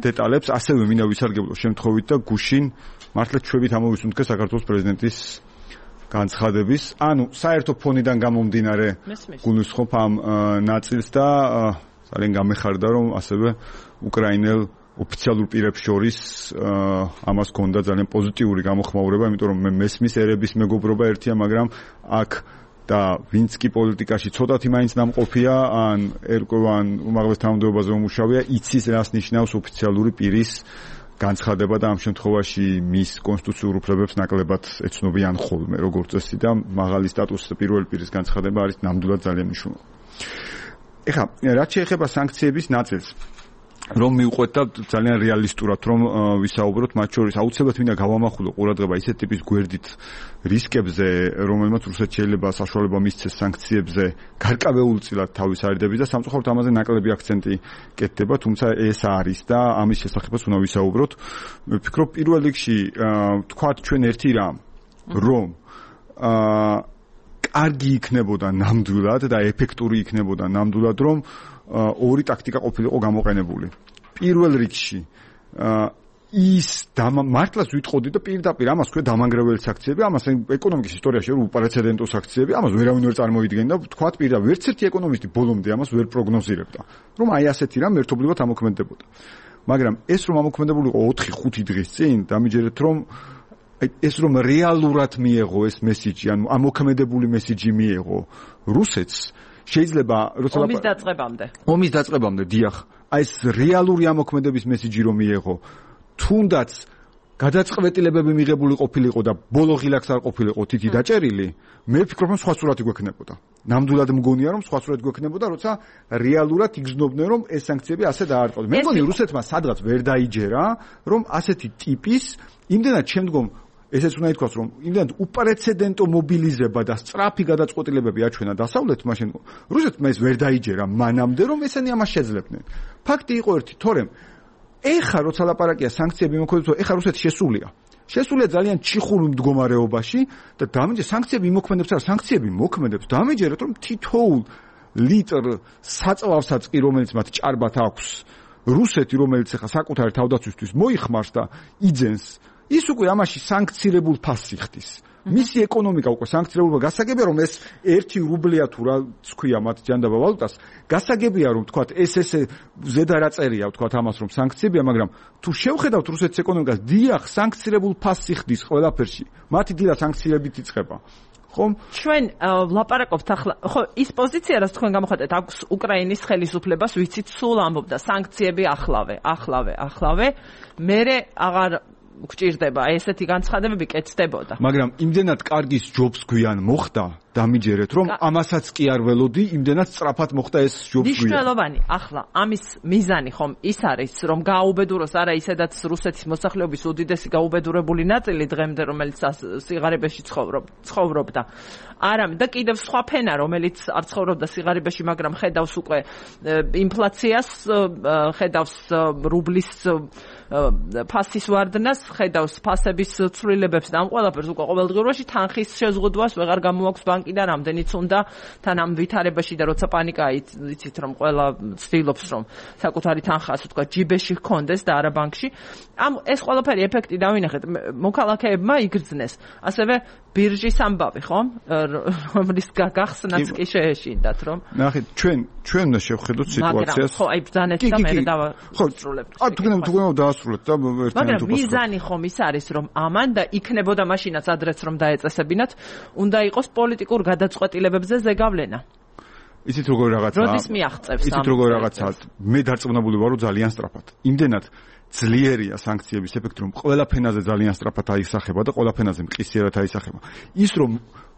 დეტალებს, ასევე მინდა ვისარგებლო შემთხვევით და გუშინ მართლა ჩვევით ამოვისუნთქე საქართველოს პრეზიდენტის განცხადების, ანუ საერთო ფონიდან გამომდინარე გულისხმობ ამ ნაწილს და ძალიან გამეხარდა რომ ასევე უკრაინელ ოფიციალურ პირებს შორის ამას ჰქონდა ძალიან პოზიტიური გამოხმაურება, იმიტომ რომ მე მესმის ერების მეგობრობა ერთია, მაგრამ აქ და ვინც კი პოლიტიკაში ცოტათი მაინც დამყოფია, ან ერკვევან უმაღლეს თანამდებობაზე უმუშავია, იცის რას ნიშნავს ოფიციალური პირის განცხადება და ამ შემთხვევაში მის კონსტიტუციურ უფლებებს ნაკლებად ეცნობიან ხოლმე, როგორც წესი და მაღალი სტატუსის პირველი პირის განცხადება არის ნამდვილად ძალიან მნიშვნელოვანი. ეხლა, რაც შეეხება სანქციების ნაწილს, რომ მივყვეთ და ძალიან რეალისტურად რომ ვისაუბროთ, მათ შორის აუცილებლად მინდა გავამახვილო ყურადღება ისეთ ტიპის გვერდით რისკებზე, რომელმაც რუსეთს შეიძლება საშუალება მისცეს სანქციებზე გარკვეულწილად თავის არიდების და სამწუხაროდ ამაზე ნაკლები აქცენტი კეთდება, თუმცა ეს არის და ამის შესახებაც უნდა ვისაუბროთ. მე ვფიქრობ პირველ რიგში თქვათ ჩვენ ერთი რამ, რომ კარგი იქნებოდა ნამდვილად და ეფექტური იქნებოდა ნამდვილად რომ ორი ტაქტიკა ყოფილიყო გამოყენებული. პირველ რიგში ის მართლაც ვიტყოდი და პირდაპირ ამას ქვია დამანგრეველი საქციები, ამას ეკონომიკის ისტორიაში რომ უპრეცედენტო საქციები, ამას ვერავინ ვერ წარმოიდგენდა, თქვათ პირდაპირ ერთ ერთი ეკონომისტი ბოლომდე ამას ვერ პროგნოზირებდა, რომ აი ასეთი რამ ერთობლივად ამოქმედებოდა. მაგრამ ეს რომ ამოქმედებულიყო 4-5 დღის წინ, დამიჯერეთ რომ ეს რომ რეალურად მიეღო ეს მესიჯი, ანუ ამოქმედებული მესიჯი მიეღო რუსეთს შეიძლება როცა ომის დაწყებამდე დიახ, აი ეს რეალური ამოქმედების მესიჯი რომ მიეღო, თუნდაც გადაწყვეტილებები მიღებული ყოფილიყო და ბოლო ღილაკს არ ყოფილიყო თითი დაჭერილი, მე ვფიქრობ რომ სხვა სურათი გვექნებოდა. ნამდვილად მგონია რომ სხვა სურათი გვექნებოდა, როცა რეალურად იგრძნობდნენ რომ ეს სანქციები ასე დაარტყოს. მე მგონი რუსეთმა სადღაც ვერ დაიჯერა, რომ ასეთი ტიპის იმდენად შემდგომ ესეც უნდა ითქვას, რომ იმდენად უპრეცედენტო მობილიზება და სწრაფი გადაწყვეტილებები აჩვენა დასავლეთმა, რუსეთმა ეს ვერ დაიჯერა მანამდე, რომ ესენი ამას შეძლებდნენ. ფაქტი იყო ერთი, თორემ ეხა როცა ლაპარაკია სანქციები მოქმედებს, ეხა რუსეთი შესულია ძალიან ჩიხურ მდგომარეობაში და დამიჯერეთ სანქციები მოქმედებს, სანქციები მოქმედებს, დამიჯერეთ რომ თითოეულ ლიტრ საწვავსაწყი, რომელიც მათ ჭარბად აქვს, რუსეთი, რომელიც ეხა საკუთარი თავდაცვისთვის მოიხმარს და იძენს, ის უკვე ამაში სანქცირებულ ფასს იხდის. მისი ეკონომიკა უკვე სანქცირებულობა გასაგებია რომ ეს 1 რუბლია თუ რაც ქვია მათ ჯანდაბა ვალუტას, გასაგებია რომ თქვათ ეს ზედარაწერია თქვათ ამას რომ სანქციებია, მაგრამ თუ შევხედავთ რუსეთის ეკონომიკას, დიახ, სანქცირებულ ფასს იხდის ყველაფერში. მათი დილა სანქციებით იწყება. ხომ? ჩვენ ვლაპარაკობთ ახლა, ხო, ის პოზიცია, რაც თქვენ გამოხატეთ, აქვს უკრაინის ხელისუფლებას, ვიცით, სულ ამბობდა სანქციები ახლავე. მერე აღარ გჭირდება, ესეთი განცხადებები კეთდებოდა. მაგრამ იმდენად კარგის ჯობს გვიან მოხდა, დამიჯერეთ, რომ ამასაც კი არ ველოდი, იმდენად სწრაფად მოხდა ეს ჯობს გვიან. მნიშვნელოვანი, ახლა ამის მიზანი ხომ ის არის, რომ გააუბედუროს არა ისედაც რუსეთის მოსახლეობის უდიდესი გაუბედურებული ნაწილი დღემდე, რომელიც სიღარიბეში ცხოვრობდა. არამედ და კიდევ სხვა ფენა, რომელიც არ ცხოვრობდა სიღარიბეში, მაგრამ ხედავს უკვე ინფლაციას, ხედავს რუბლის ფასის ვარდნას, ხედავს ფასების ცვლილებებს და ამ ყველაფერს უკვე ყოველდღიურობაში თანხის შეზღუდვას ვეღარ გამოაქვს ბანკიდან, რამდენიც უნდა თან ამ ვითარებაში და როცა პანიკაა, იცით რომ ყველა ცდილობს რომ საკუთარი თანხა ასე თქვა ჯიბეში ჰქონდეს და არა ბანკში. ეს ყველაფერი ეფექტი დავინახეთ, მოქალაქეებმა იგრძნეს. ასევე ბირჟის ამბავი, ხო? რომლის გახსნაც კი შეეშინდათ, რომ ნახეთ, ჩვენ უნდა შევხედოთ სიტუაციას. ხო, აი ბრძანეთ და მე დავასრულებ. თქო, დაასრულეთ და მაგრამ მიზანი ხომ ის არის, რომ ამან და იქნებოდა მაშინაც ადრეც რომ დაეწესებინათ, უნდა იყოს პოლიტიკურ გადაწყვეტილებებზე ზეგავლენა. იცით როგორ რაღაცაა? როდის მიაღწევს ამ? იცით როგორ რაღაცაა? მე დარწმუნებული ვარ, რომ ძალიან სწრაფად. იმდენად ძლიერია სანქციების ეფექტი, რომ ყველა ფენაზე ძალიან სწრაფად აისახება და ყველა ფენაზე მყისიერად აისახება. ის რომ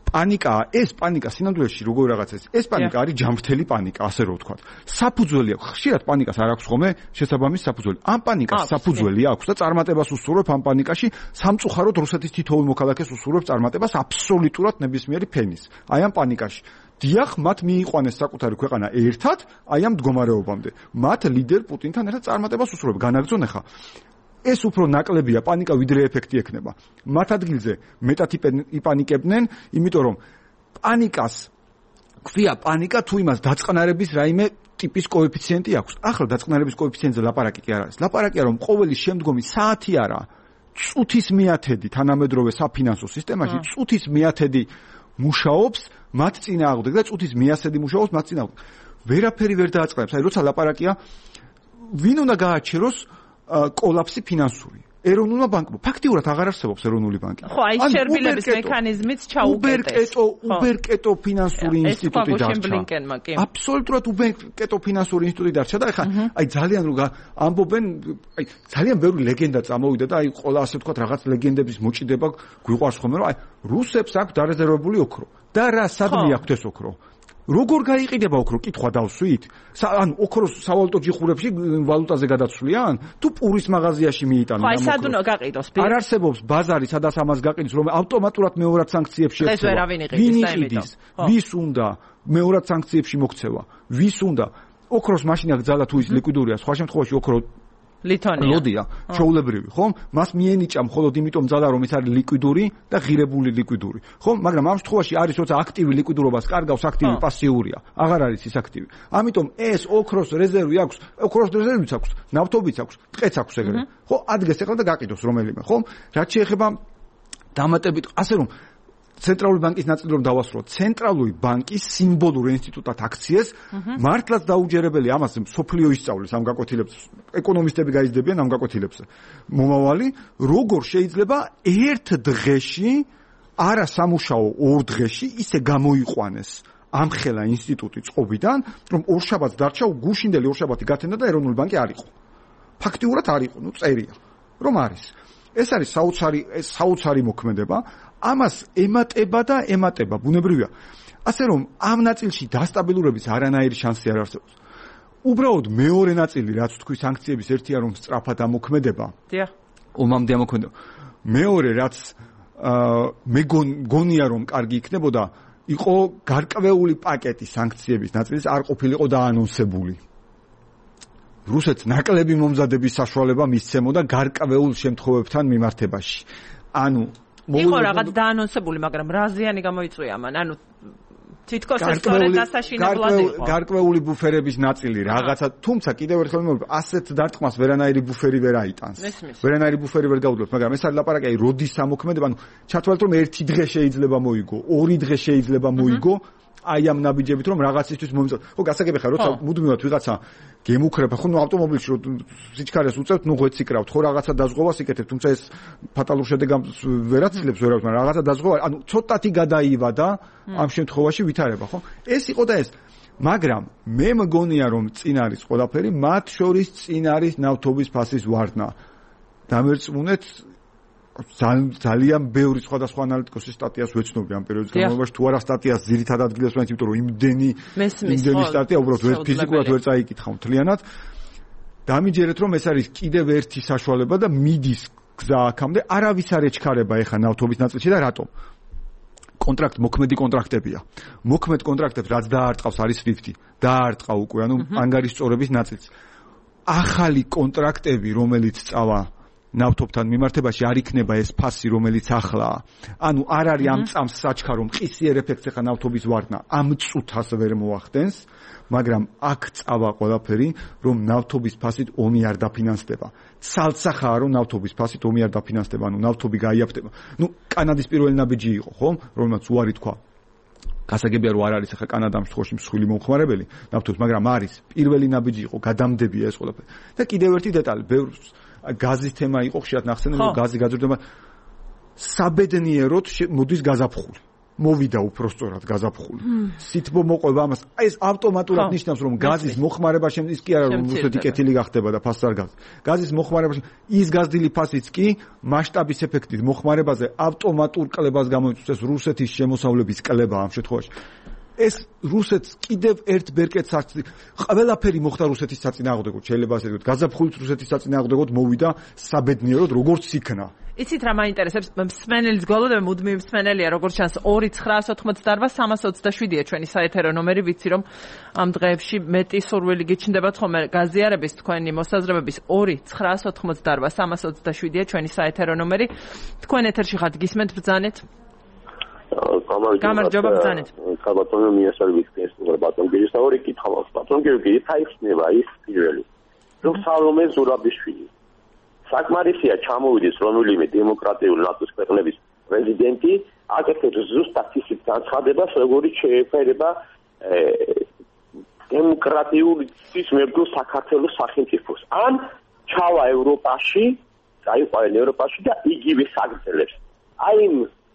პანიკაა, ეს პანიკა სინამდვილეში როგორ რაღაცა ეს პანიკა არის ჯანმრთელი პანიკა, ასე რომ ვთქვათ. საფუძველი აქვს, ხშირად პანიკას არ აქვს ხოლმე შესაბამის საფუძველი. ამ პანიკას საფუძველი აქვს და წარმატებას უსურვებ ამ პანიკაში, სამწუხაროდ რუსეთის თითოეულ მოქალაქეს უსურვებს წარმატებას აბსოლუტურად ნებისმიერი ფენის. აი ამ პანიკაში. დიახ, მათ მიიყვანეს საკუთარი ქვეყანა ერთად, აი ამ მდგომარეობამდე. მათ ლიდერ პუტინთან ერთად წარმატებას უსურვებ. განაგრძონ ახლა ეს უფრო ნაკლებია პანიკა ვიდრე ეფექტი ექნება. მათ ადგილზე მეტად იპანიკებდნენ, იმიტომ რომ პანიკას ქვია პანიკა თუ იმას დაწყნარების რაიმე ტიპის კოეფიციენტი აქვს. ახლა დაწყნარების კოეფიციენტზე ლაპარაკი კი არ არის. ლაპარაკია რომ ყოველი შემდგომი საათი არა, წუთის მიათედი თანამედროვე საფინანსო სისტემაში წუთის მიათედი მუშაობს მათ წინააღმდეგ და წუთის მიასედი მუშაობს მათ წინააღმდეგ. ვერაფერი ვერ დააწყნარებს. აი როცა ლაპარაკია ვინ უნდა გააჩეროს კოლაფსი ფინანსური. ეროვნულმა ბანკმა ფაქტიურად აღარ არსებობს ეროვნული ბანკი. ხო, აი შერბილების მექანიზმიც ჩაუკეტეს. უბერკეტო ფინანსური ინსტიტუტი დარჩა. აბსოლუტურად უბერკეტო ფინანსური ინსტიტუტი დარჩა და ეხლა აი ძალიან რო ამბობენ, აი ძალიან ბევრი ლეგენდა წამოვიდა და აი ყველა ასე ვთქვათ რაღაც ლეგენდების მოჭიდება გვიყვარს ხოლმე, რომ აი რუსებს აქვს დარეზერვებული ოქრო. და რა სადმე აქვს ეს ოქრო? როგორ გაიყიდება ოქრო? კითხვა დავსვით. ან ოქროს სავალუტო ჯიხურებში ვალუტაზე გადაცვლიან? თუ პურის მაღაზიაში მიიტანენ ამ ოქროს? სად უნდა გაყიდოს? არ არსებობს ბაზარი, სადაც ამას გაყიდოს, რომ ავტომატურად მეორად სანქციებში ექცევა. ეს ვერავინ იყიდის. ვის უნდა მეორად სანქციებში მოქცევა? ვის უნდა? ოქროს მაშინა გძალა თუ ის ლიკვიდურია, სხვა შემთხვევაში ოქრო ლოდია, ჩაულებრივი, ხომ? მას მიენიჭა მხოლოდ იმიტომ ძალა, რომ ის არის ლიკვიდური და ღირებული ლიკვიდური. ხომ? მაგრამ ამ შემთხვევაში არის, როცა აქტივი ლიკვიდურობას კარგავს, აქტივი პასიურია. აღარ არის ის აქტივი. ამიტომ ეს ოქროს რეზერვი აქვს, ოქროს რეზერვიც აქვს, ნავთობიც აქვს, ტყეც აქვს ეგრე. ხო, ადგეს ეხლა და გაყიდოს რომელიმე, ხომ? რაც შეეხება დამატებით, ასე რომ ცენტრალური ბანკის ნაწილი რომ დავასრულოთ, ცენტრალური ბანკის სიმბოლურ ინსტიტუტად აქციეს, მართლაც დაუჯერებელი ამას სოფლიო ისწავლის ამ გაკვეთილებს, ეკონომისტები გაიზრდებიან ამ გაკვეთილებს. მომავალი, როგორ შეიძლება ერთ დღეში, არა სამუშაო ორ დღეში ისე გამოიყვანეს ამხელა ინსტიტუტი წყობიდან, რომ ორშაბათს დარჩა, გუშინდელი ორშაბათი გათენდა და ეროვნული ბანკი არ იყო. ფაქტიურად არ იყო, წერია, რომ არის. ეს არის საოცარი მოქმედება. ამას ემატება და ემატება, ბუნებრივია. ასე რომ ამ ნაწილში დასტაბილურების არანაირი შანსი არ არსებობს. უბრალოდ მეორე ნაწილი, რაც თქვი სანქციების ერთია, რომ სწრაფად ამოქმედება. დიახ. ომამდე ამოქმედება. მეორე, რაც მე გონია, რომ კარგი იქნებოდა, იყო გარკვეული პაკეტი სანქციების ნაწილის არ ყოფილიყო დაანონსებული. რუსეთს ნაკლები მომზადების საშუალება მისცემოდა გარკვეულ შემთხვევებთან მიმართებაში. ანუ იყო რაღაც დაანონსებული, მაგრამ რა ზიანი გამოიწვია მან? ანუ თითქოს ეს სწორედ დასაშინებლად იყო. გარკვეული ბუფერების ნაწილი რაღაცა, თუმცა კიდევ ერთხელ მოვიდა, ასეთ დარტყმას ვერანაირი ბუფერი ვერ აიტანს. ვერანაირი ბუფერი ვერ გაუძლებს, მაგრამ ეს არის ლაპარაკი, აი როდის ამოქმედება, ანუ ჩათვალეთ რომ ერთი დღე შეიძლება მოიგო, ორი დღე შეიძლება მოიგო, აი ამ ნაბიჯებით რომ რაღაცისთვის მომიწევთ. ხო, გასაგები ხარ, როცა მუდმივად ვიღაცა გემუქრება, ხო, ავტომობილში რო სიჩქარეს უწევთ, ღვეც იკრავთ, ხო, რაღაცა დაზღვევას იკეთებთ, თუმცა ეს ფატალურ შედეგებს ვერ აცილებს ვერავთ, მაგრამ რაღაცა დაზღვევა, ანუ ცოტათი გადაივადა ამ შემთხვევაში ვითარება, ხო? ეს იყო და ეს. მაგრამ მე მგონია რომ წინ არის ყველაფერი, მათ შორის წინ არის ნავთობის ფასის ვარდნა. დამერწმუნეთ ძალიან ბევრი სხვადასხვა ანალიტიკოსის სტატიას ვეცნობი ამ პერიოდის განმავლობაში, თუ არა სტატიას ძირითად ადგილას ვაინც, იმიტომ რომ იმდენი სტატია უბრალოდ ვერ ფიზიკურად ვერ წაიკითხავ მთლიანად. დამიჯერეთ რომ ეს არის კიდევ ერთი საშუალება და მიდის გზა აქამდე, არავის არ ეჩქარება ეხა ნავთობის ნაწილში და რატომ? მოქმედი კონტრაქტებია. მოქმედ კონტრაქტებს რაც დაარტყავს არის SWIFT-ი. დაარტყა უკვე, ანუ ანგარის სწორების ნაწილს. ახალი კონტრაქტები, რომელიც წავა ნავთობთან მიმართებაში არ იქნება ეს ფასი, რომელიც ახლაა. ანუ არ არის ამ წამს საჩქარო მყისიერ ეფექტს ახლა ნავთობის ვარდნა ამ წუთას ვერ მოახდენს, მაგრამ აქ წავა ყველაფერი, რომ ნავთობის ფასით ომი არ დაფინანსდება. ცალცახაა რომ ნავთობის ფასით ომი არ დაფინანსდება, ანუ ნავთობი გაიაფთება. ნუ კანადის პირველი ნაბიჯი იყო, ხო? რომელმაც უარი თქვა. გასაგებია რომ არ არის ახლა კანადა ამ შემთხვევაში მსხვილი მომხმარებელი ნავთობის, მაგრამ არის პირველი ნაბიჯი იყო, გადამდებია ეს ყველაფერი. და კიდევ ერთი დეტალი, ბევრს გაზის თემა იყო ხშირად ნახსენები, რომ გაზი გაძვირდება საბედნიეროდ მოდის გაზაფხული. მოვიდა უпростоრად გაზაფხული. სითბო მოყვება ამას. აი ეს ავტომატურად ნიშნავს რომ გაზის მოხმარება ის კი არა რომ რუსეთი კეთილი გახდება და ფასს არ გავს. გაზის მოხმარებაში ის გაზრდილი ფასიც კი მასშტაბის ეფექტით მოხმარებაზე ავტომატურ კლებას გამოიწვევს რუსეთის შემოსავლების კლება ამ შემთხვევაში. ეს რუსეთს კიდევ ერთ ბერკეტს არც ყველაფერი მოხდა რუსეთის საწინააღმდეგოდ, შეიძლება ასე ვთქვათ, გაზაფხულით რუსეთის საწინააღმდეგოდ მოვიდა საბედნიეროდ როგორც იქნა. იცით რა მაინტერესებს მსმენელის გვალოდები მუდმივი მსმენელია როგორც ჩანს 2-988-327-ია ჩვენი საეთერო ნომერი ვიცი რომ ამ დღეებში მეტი სურვილი გიჩნდებათ ხოლმე გაზიარების თქვენი მოსაზრებების 2-988-327-ია ჩვენი საეთერო ნომერი თქვენ ეთერში ხართ გისმენთ ბრძანეთ გამარჯობა ბრძანეთ საბატონო მიესალმებით ბატონგირის და ორი კითხვა მაქვს ბატონგირი თაიხსნება ის პირველი რომ სალომე ზურაბიშვილი საკმარისია ჩამოვიდეს რომელიმე დემოკრატიული ნატოს ქვეყნების პრეზიდენტი აკეთებს ზუსტად ისეთ განცხადებას როგორიც შეეფერება დემოკრატიული მებრძოლ საქართველოს სახელმწიფოს ან ჩავა ევროპაში წაიყვანენ ევროპაში და იგივე საგრძელებს აი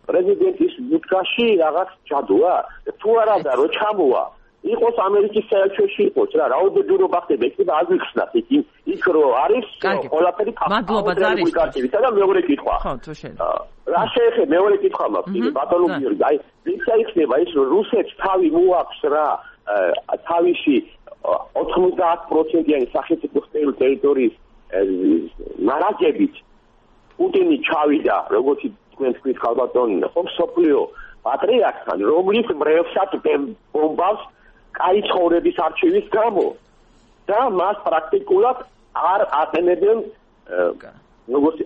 პრეზიდენტის ბუდკაში რაღაც ჯადოა თუ არა და რო ჩამოვა იყოს ამერიკის საელჩოში იყოს რა რაოდენობა ხდება იქ და აგვიხსნათ იქ რო არის ყველაფერი მადლობა ზარის და მეორე კითხვა ხო თუ შეიძლება რა შეეხება მეორე კითხვა მაქვს იგი ბატონო გიორგი აი ვინც აიხსნება ის რომ რუსეთს თავი მოაქვს რა თავისი 90%-იანი სახელმწიფოს ტერიტორიის მარაგებით პუტინი ჩავიდა როგორც თქვენ თქვით ხალბატონი ხო სოფლიო პატრიარქთან რომლის მრევლსაც ბომბავს კაი ცხოვრების არჩევის გამო და მას პრაქტიკულად არ აყენებენ როგორც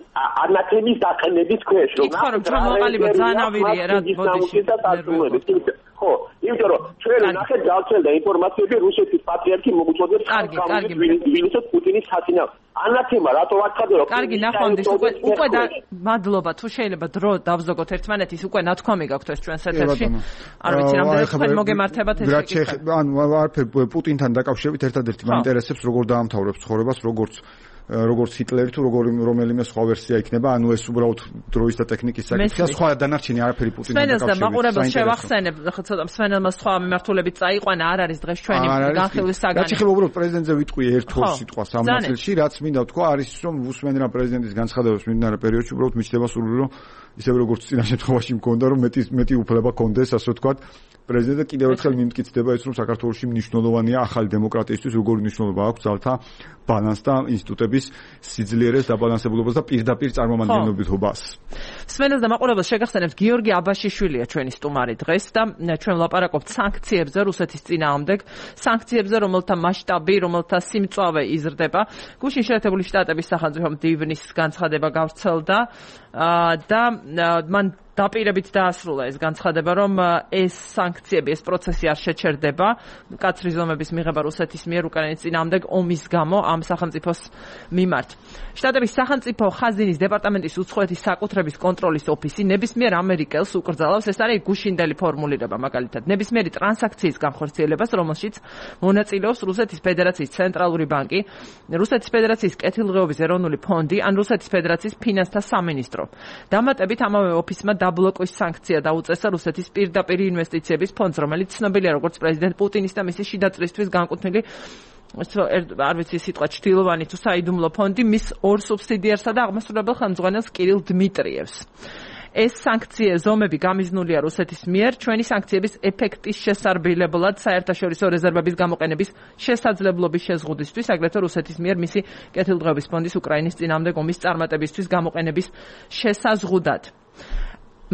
ანათემის დაყენების ქვეშ რომ ჩამოყალიბა ძანავირია რა ბოდიში ხო იმიტომ რომ ჩვენ ნახეთ გავცელდა ინფორმაციები რუსეთის პატრიარქი მოუწოდებს ვინიცოთ პუტინის საწინააღმდეგო ანათემა რატო ვარცხადე რომ კარგი ნახვამდის უკვე მადლობა თუ შეიძლება დრო დავზოგოთ ერთმანეთის უკვე ნათქვამი გაქვთ ეს ჩვენს ეთერში არ ვიცი რამდენად თქვენ მოგემართებათ ეს კითხვა ანუ არაფერ პუტინთან დაკავშირებით ერთადერთი მაინტერესებს როგორ დაამთავრებს ცხოვრებას როგორც ჰიტლერი თუ რომელიმე სხვა ვერსია იქნება, ანუ ეს უბრალოდ დროის და ტექნიკის საკითხია, სხვა დანარჩენი არაფერი პუტინთან დაკავშირებით. სვენელს და მაყურებელს შევახსენებ, ცოტა სვენელმა სხვა მიმართულებით წაიყვანა, არ არის დღეს ჩვენი განხილვის საგანი. რაც ეხება უბრალოდ პრეზიდენტზე ვიტყვი ერთ-ორ სიტყვას ამ ნაწილში, რაც მინდა ვთქვა, არის რომ უსმენ რა პრეზიდენტის განცხადებებს მიმდინარე პერიოდში უბრალოდ მიჩნდება სურვილი, რომ ისევე როგორც წინა შემთხვევაში მქონდა, რომ მეტი უფლება კონდეს, ასე ვთქვათ, პრეზიდენტი კიდევ ერთხელ მიმტკიცდება ის, რომ საქართველოში მნიშვნელოვანია ახალი დემოკრატიისთვის, როგორი მნიშვნელობა აქვს ძალთა ბალანს და ინსტიტუტების სიძლიერეს დაბალანსებულობას და პირდაპირ წარმომადგენლობითობას. სვენელს და მაყურებელს შეგახსენებთ, გიორგი აბაშიშვილია ჩვენი სტუმარი დღეს და ჩვენ ვლაპარაკობთ სანქციებზე რუსეთის წინააღმდეგ, სანქციებზე, რომელთა მასშტაბი, რომელთა სიმწვავე იზრდება. გუშინ შეერთებული შტატების სახელმწიფო მდივნის განცხადება გავრცელდა და მან დაპირებით დაასრულა ეს განცხადება, რომ ეს სანქციები, ეს პროცესი არ შეჩერდება, მკაცრი ზომების მიღება რუსეთის მიერ უკრაინის წინააღმდეგ ომის გამო ამ სახელმწიფოს მიმართ. შტატების სახელმწიფო ხაზინის დეპარტამენტის უცხოეთის საკუთრების კონტროლის ოფისი ნებისმიერ ამერიკელს უკრძალავს, ეს არის გუშინდელი ფორმულირება მაგალითად, ნებისმიერი ტრანზაქციის განხორციელებას, რომელშიც მონაწილეობს რუსეთის ფედერაციის ცენტრალური ბანკი, რუსეთის ფედერაციის კეთილდღეობის ეროვნული ფონდი ან რუსეთის ფედერაციის ფინანსთა სამინისტრო. დამატებით ამავე ოფისმა დაბლოკვის სანქცია დაუწესა რუსეთის პირდაპირ ინვესტიციების ფონდს, რომელიც ცნობილია როგორც პრეზიდენტ პუტინის და მისი შიდაწლისთვის განკუთვნილი არ ვიცი სიტყვა ჩtildeოვანი თუ საიდუმლო ფონდი მის ორ სუბსიდიარსა და აღმასრულებელ ხელმძღვანელს კირილ დმიტრიევს. ეს სანქციების ზომები გამიზნულია რუსეთის მიერ ჩვენი სანქციების ეფექტის შესარბილებლად საერთაშორისო რეზერვების გამოყენების შესაძლებლობის შეზღუდვისთვის, აგრეთვე რუსეთის მიერ მისი კეთილდღეობის ფონდის უკრაინის წინააღმდეგ ომის წარმატებისთვის გამოყენების შესაზღუდად.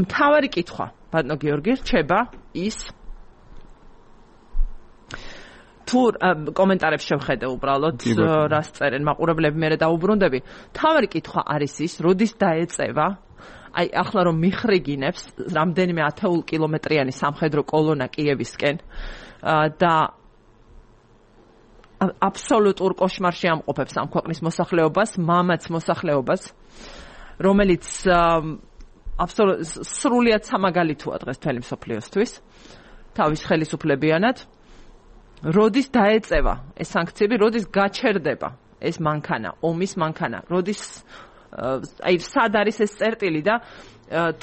მთავარი კითხვა, ბატონო გიორგი, რჩება ის თუ კომენტარებს შევხედე უბრალოდ რას წერენ მაყურებლები, მე დაუბრუნდები. მთავარი კითხვა არის ის, როდის დაეწევა აი ახლა რომ მიხრიგინებს რამდენიმე 10 კილომეტრიანი სამხედრო კოლონა კიევისკენ და აბსოლუტურ კოშმარში ამყოფებს ამ ქვეყნის მოსახლეობას, მამაც მოსახლეობას, რომელიც სრულიად სამაგალითოა დღეს მთელი მსოფლიოსთვის, თავის ხელისუფლებიანად. როდის დაეწევა ეს სანქციები, როდის გაჩერდება ეს მანქანა, ომის მანქანა, როდის აი სად არის ეს წერტილი და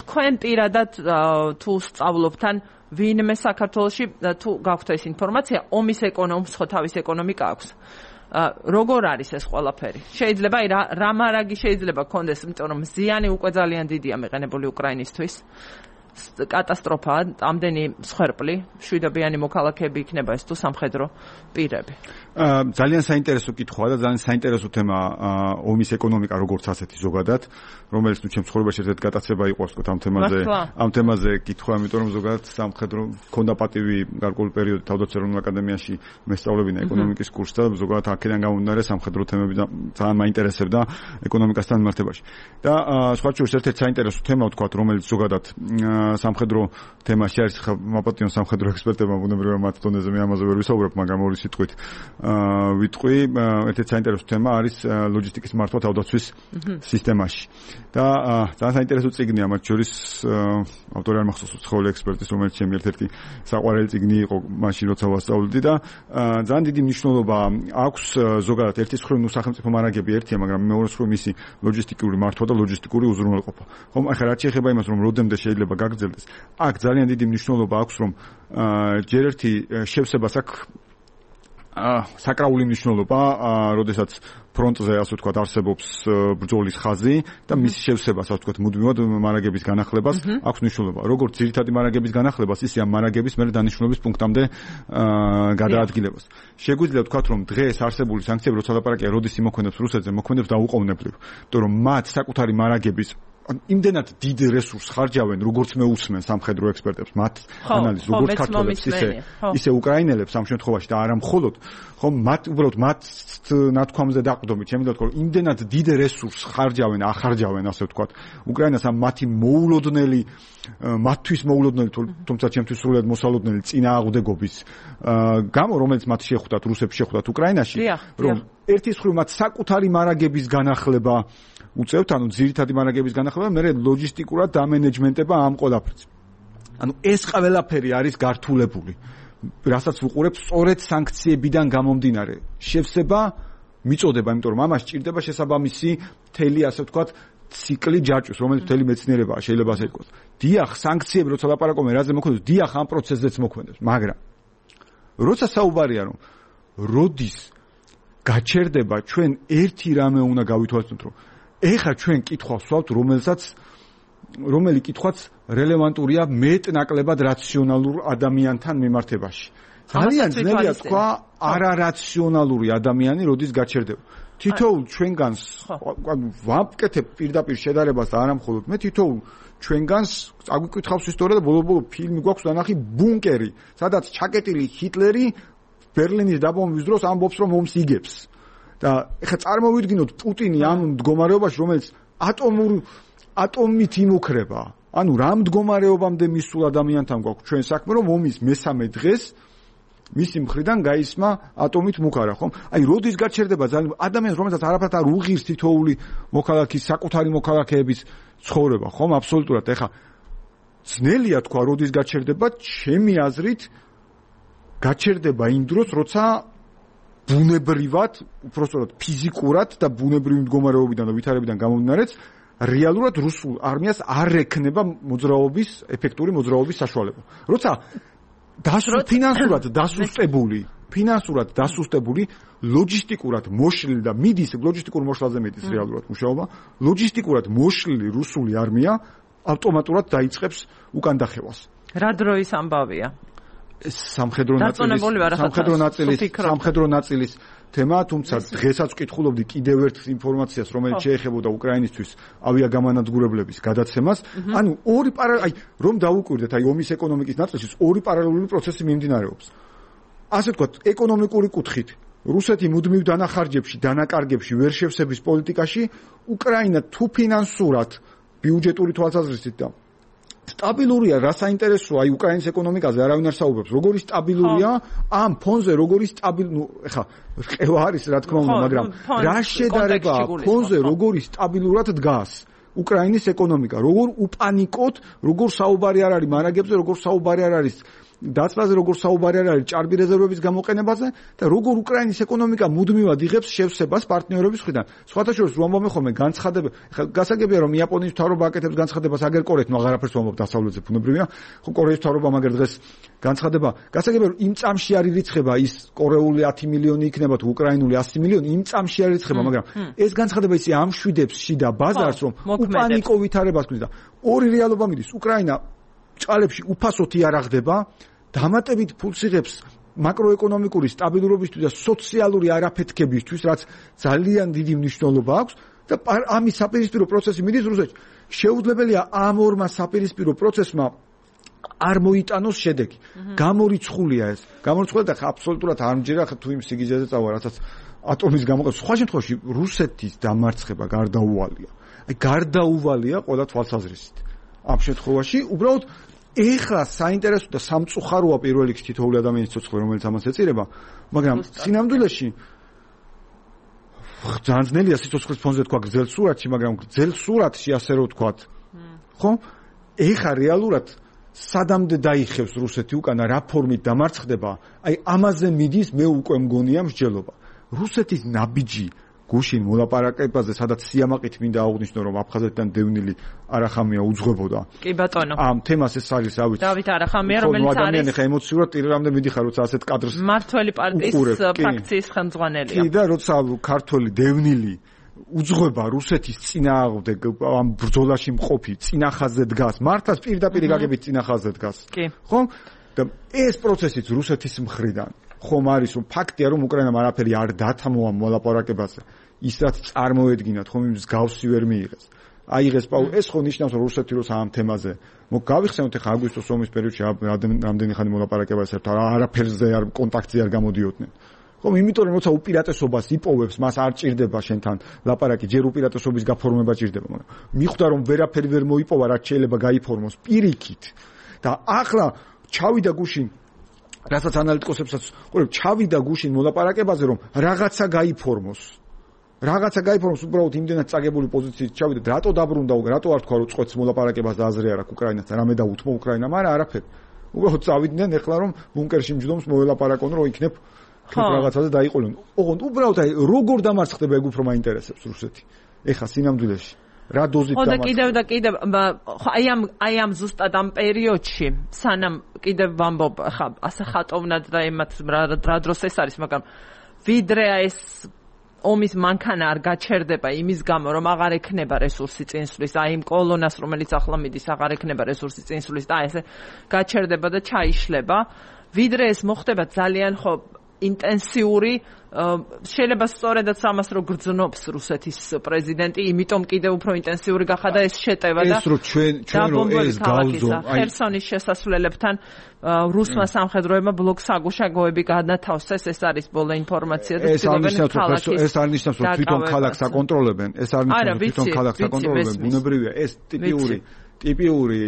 თქვენ პირადად თუ სწავლობთან ვინმე საქართველოში თუ გაქვთ ეს ინფორმაცია, ომის ეკონომიკას ხო თავის ეკონომიკა აქვს. როგორ არის ეს ყველაფერი? შეიძლება რა მარაგი შეიძლება გქონდეს, იმიტომ რომ ზიანი უკვე ძალიან დიდია მიყენებული უკრაინისთვის. კატასტროფაა, ამდენი მსხვერპლი, მშვიდობიანი მოქალაქეები იქნება ეს თუ სამხედრო პირები. ძალიან საინტერესო კითხვაა და ძალიან საინტერესო თემა ომის ეკონომიკა როგორც ასეთი ზოგადად, რომელიც თუ ჩემ ცხოვრებაში ერთ გატაცება იყო ვთქვათ ამ თემაზე კითხვა, იმიტომ რომ ზოგადად სამხედრო ქონდა პატივი გარკვეული პერიოდი თავდაცვის ეროვნულ აკადემიაში მესწავლებინა ეკონომიკის კურსს და ზოგადად აქედან გამომდინარე სამხედრო თემები ძალიან მაინტერესებდა ეკონომიკასთან მიმართებაში. და სხვა შორის ერთ-ერთი საინტერესო თემა ვთქვათ, რომელიც ზოგადად სამხედრო თემაში არის, მაპატიონ სამხედრო ექსპერტებმა ბუნებრივია მათ დონეზე მე ამაზე ვერ ვისაუბრებ, მაგრამ ორი სიტყვით ვიტყვი, ერთ-ერთი საინტერესო თემა არის ლოჯისტიკის მართვა თავდაცვის სისტემაში. და ძალიან საინტერესო წიგნია მათ შორის, ავტორი არ მახსოვს უცხოელი ექსპერტის, რომელიც ჩემი ერთ-ერთი საყვარელი წიგნი იყო მაშინ როცა ვასწავლდი და ძალიან დიდი მნიშვნელობა აქვს ზოგადად ერთის მხრივ სახელმწიფო მარაგები ერთია, მაგრამ მეორე მხრივ მისი ლოჯისტიკური მართვა და ლოჯისტიკური უზრუნველყოფა. ხომ ახლა რაც შეეხება იმას, რომ როდემდე შეიძლება გაგრძელდეს, აქ ძალიან დიდი მნიშვნელობა აქვს, რომ ჯერ ერთი შევსებას აქვს საკრაული მნიშვნელობა, როდესაც ფრონტზე ასე ვთქვათ არსებობს ბრძოლის ხაზი და მისი შევსებას ასე ვთქვათ მუდმივად მარაგების განახლებას აქვს მნიშვნელობა. როგორც ძირითადი მარაგების განახლებას, ისე ამ მარაგების მერე დანიშნულების პუნქტამდე გადაადგილებას. შეგვიძლია ვთქვათ, რომ დღეს არსებული სანქციები, როცა ლაპარაკია, როდის იმოქმედებს რუსეთზე, მოქმედებს დაუყოვნებლივ, იმიტომ რომ მათ საკუთარი მარაგების იმდენად დიდ რესურსს ხარჯავენ, როგორც მე უსმენ სამხედრო ექსპერტებს, მათ ანალიზს, როგორც ქართველებს, ისე უკრაინელებს ამ შემთხვევაში და არა მხოლოდ, ხომ მათ უბრალოდ მათ ნათქვამზე დაყრდნობით, შემიძლია ვთქვა, რომ იმდენად დიდ რესურსს ახარჯავენ, ასე ვთქვათ, უკრაინას ამ მათი მოულოდნელი, მათთვის მოულოდნელი, თუმცა ჩემთვის სრულად მოსალოდნელი წინააღმდეგობის გამო, რომელიც მათ შეხვდათ, რუსებს შეხვდათ უკრაინაში, რომ ერთის მხრივ მათ საკუთარი მარაგების განახლება უწევთ, ანუ ძირითადი მარაგების განახლება, მე ლოჯისტიკურად დამენეჯმენტება ამ ყველაფერს. ანუ ეს ყველაფერი არის გართულებული, რასაც ვუყურებ სწორედ სანქციებიდან გამომდინარე. შევსება მიწოდება, იმიტომ რომ ამას ჭირდება შესაბამისი მთელი, ასე ვთქვათ, ციკლი ჯაჭვის, რომელიც მთელი მეცნიერებაა, შეიძლება ასე ითქვას. დიახ, სანქციები როცა ლაპარაკობენ, რაზე მოქმედებს, დიახ, ამ პროცესზეც მოქმედებს, მაგრამ როცა საუბარია, რომ როდის გაჩერდება, ჩვენ ერთი რამე უნდა გავითვალისწინოთ, რომ ეხლა ჩვენ კითხვას ვსვავთ, რომელი კითხვაც რელევანტურია მეტნაკლებად რაციონალურ ადამიანთან მიმართებაში. ძალიან ძნელია თქვა არარაციონალური ადამიანი როდის გაჩერდება. თითოეულ ჩვენგანს ვამკეთებ პირდაპირ შედარებას და არა მხოლოდ მე, თითოეულ ჩვენგანს აგვიკითხავს ისტორია და ბოლო-ბოლო ფილმი გვაქვს დანახი ბუნკერი, სადაც ჩაკეტილი ჰიტლერი ბერლინის დაბომბვის დროს ამბობს, რომ ომს იგებს. და ეხლა წარმოვიდგინოთ პუტინი ამ მდგომარეობაში, რომელიც ატომით იმუქრება, ანუ რა მდგომარეობამდე მისულ ადამიანთან გვაქვს ჩვენ საქმე, რომ ომის მესამე დღეს მისი მხრიდან გაისმა ატომით მუქარა, ხომ? აი, როდის გაჩერდება ძალიან ადამიანს, რომელსაც არაფრად არ უღირს თითოეული მოქალაქის საკუთარი მოქალაქეების ცხოვრება, ხომ? აბსოლუტურად. ეხლა ძნელია თქვა, როდის გაჩერდება, ჩემი აზრით გაჩერდება იმ დროს, როცა ბუნებრივად, უпростоრად ფიზიკურად და ბუნებრივი მდგომარეობიდან და ვითარებიდან გამომდინარეც რეალურად რუსულ არმიას არ ექნება მოძრაობის, ეფექტური მოძრაობის საშუალება. როცა ფინანსურად დასუსტებული, ლოჯისტიკურად მოშლილი და მიდის ლოჯისტიკურ მოშლაზე მიდის რეალურად მუშაობა, ლოჯისტიკურად მოშლილი რუსული არმია ავტომატურად დაიწყებს უკან დახევას. რა დროის ამბავია? სამხედრო ნაწილის თემა, თუმცა დღესაც ვკითხულობდი კიდევ ერთ ინფორმაციას, რომელიც შეეხებოდა უკრაინისთვის ავიაგამანადგურებლების გადაცემას. ანუ ორი აი რომ დაუკვირდეთ, აი ომის ეკონომიკის ნაწილში ორი პარალელური პროცესი მიმდინარეობს. ასე ვთქვათ, ეკონომიკური კუთხით რუსეთი მუდმივ დანახარჯებში, დანაკარგებში, ვერ შევსების პოლიტიკაში, უკრაინა თუ ფინანსურად, ბიუჯეტური თვალსაზრისით და სტაბილურია, რა საინტერესოა აი უკრაინის ეკონომიკაზე არავინ არ საუბრობს. როგორი სტაბილურია ამ ფონზე, როგორი ეხა რყევა არის რა თქმა უნდა, მაგრამ რა შედარება ფონზე როგორი სტაბილურად დგას უკრაინის ეკონომიკა, როგორ უპანიკოთ, როგორ საუბარი არ არის მარაგებზე, როგორ საუბარი არ არის დაწლაზე, როგორ საუბარი არ არის ჭარბი რეზერვების გამოყენებაზე და როგორ უკრაინის ეკონომიკა მუდმივად იღებს შევსებას პარტნიორების მხრიდან. სხვათა შორის ვამბობ ხოლმე განცხადება, გასაგებია რომ იაპონიის მთავრობა აკეთებს განცხადებას აგერ კორეთ, მაგრამ აღარაფერს ვამბობ დასავლეთზე ბუნებრივია. ხო კორეის მთავრობა მაგერ დღეს განცხადება, გასაგებია რომ იმ წამში არ ირიცხება ის კორეული 10 მილიონი იქნება თუ უკრაინული 100 მილიონი, იმ წამში არ ირიცხება, მაგრამ ეს განცხადება ისე ამშვიდებს შიდა ბაზარს, რომ უპანიკო ვითარებას ქმნის და ორი რეალობა მიდის. უკრაინა ჭალებში უფასოდ იარაღდება, დამატებით ფულს იღებს მაკროეკონომიკური სტაბილურობისთვის და სოციალური არაფეთქებისთვის, რაც ძალიან დიდი მნიშვნელობა აქვს და ამის საპირისპირო პროცესი მიდის რუსეთში. შეუძლებელია ამ ორმა საპირისპირო პროცესმა არ მოიტანოს შედეგი. გამორიცხულია ეს. გამორიცხულია და აბსოლუტურად არ მჯერა თუ იმ სიგიჟეზე წავა, რასაც ატომის გამოყენება. სხვა შემთხვევაში რუსეთის დამარცხება გარდაუვალია. აი გარდაუვალია ყველა თვალსაზრისით. ამ შემთხვევაში უბრალოდ ეხლა საინტერესო და სამწუხაროა პირველ რიგში თითოეული ადამიანის ცოცხლი, რომელიც ამას ეწირება, მაგრამ სინამდვილეში ძალიან ძნელია სიცოცხლის ფონზე თქვა გრძელ სურათში, მაგრამ გრძელ სურათში ასე რომ ვთქვათ, ხო? ეხლა რეალურად სადამდე დაიხევს რუსეთი უკანა რა ფორმით დამარცხდება, აი ამაზე მიდის მე უკვე მგონია მსჯელობა. რუსეთის ნაბიჯი გუშინ მოლაპარაკებაზე, სადაც სიამაყით მინდა აღვნიშნო, რომ აფხაზეთიდან დევნილი არახამია უძღვებოდა. კი ბატონო. ამ თემას ეს არის, რა ვიცი. დავით არახამია, რომელიც არის ადამიანი ხა ემოციურად ტირერამდე მიდიხარ, როცა ასეთ კადრს მართველი პარტიის ფრაქციის ხელმძღვანელია. კი და როცა ქართველი დევნილი უძღვება რუსეთის წინააღმდეგ ამ ბრძოლაში მყოფი წინახაზზე დგას, მართლაც პირდაპირ გაგებით წინახაზზე დგას. ხო? და ეს პროცესიც რუსეთის მხრიდან ხომ არის რომ ფაქტია რომ უკრაინამ არაფერი არ დათმოა მოლაპარაკებაზე ის რაც წარმოედგინათ ხომ იმის გავსი ვერ მიიღეს აიღეს ეს ხო ნიშნავს რომ რუსეთი როცა ამ თემაზე გავიხსენოთ ახლა აგვისტოს ომის პერიოდში რამდენი ხანი მოლაპარაკებაზე ერთად არაფერზე არ კონტაქტზე არ გამოდიოდნენ ხომ იმიტომ რომ როცა უპირატესობას იპოვებს მას არ ჭირდება შენთან ლაპარაკი ჯერ უპირატესობის გაფორმება ჭირდება მაგრამ მიხვდა რომ ვერაფერი ვერ მოიპოვა რაც შეიძლება გაიფორმოს პირიქით და ახლა ჩავიდა გუშინ რასაც ანალიტიკოსებსაც ყურებ ჩავიდა გუშინ მოლაპარაკებაზე რომ რაღაცა გაიფორმოს უბრალოდ იმდენად წაგებული პოზიციით ჩავიდა რატო დაბრუნდა რატო არ თქვა რომ წყვეტს მოლაპარაკებას და აზრი არ აქვს უკრაინასთან რამე დაუთმო უკრაინამ არაფერი უბრალოდ წავიდნენ ეხლა რომ ბუნკერში მჯდომს მოელაპარაკონ რომ იქნებ რაღაცაზე დაიყოლონ ოღონდ უბრალოდ აი როგორ დამარცხდება ეგ უფრო მაინტერესებს რუსეთი ეხლა სინამდვილეში რა დოზით დამარცხდება და კიდევ აი ამ ზუსტად ამ პერიოდში სანამ კიდევ ვამბობ ხა ასე ხატოვნად და ემაც რა დროს ეს არის მაგრამ ვიდრე ეს ომის მანქანა არ გაჩერდება იმის გამო რომ აღარ ექნება რესურსი წინსვლის აი იმ კოლონას რომელიც ახლა მიდის აღარ ექნება რესურსი წინსვლის და ესე გაჩერდება და ჩაიშლება ვიდრე ეს მოხდება ძალიან ხო ინტენსიური შეიძლება სწორედაც ამას რო გრძნობს რუსეთის პრეზიდენტი, იმიტომ კიდევ უფრო ინტენსიური გახადა ეს შეტევა და ეს რო ჩვენ რომ ეს გავზო ხერსონის შესასვლელებთან რუსმა სამხედროებმა ბლოკსაგუშაგოები განათავსეს, ეს არის ბოლო ინფორმაცია და ცდილობენ ქალაქის ეს არ ნიშნავს რომ თვითონ ქალაქს აკონტროლებენ, ეს არ ნიშნავს რომ თვითონ ქალაქს აკონტროლებენ, ბუნებრივია ეს ტიპიური ტიპიური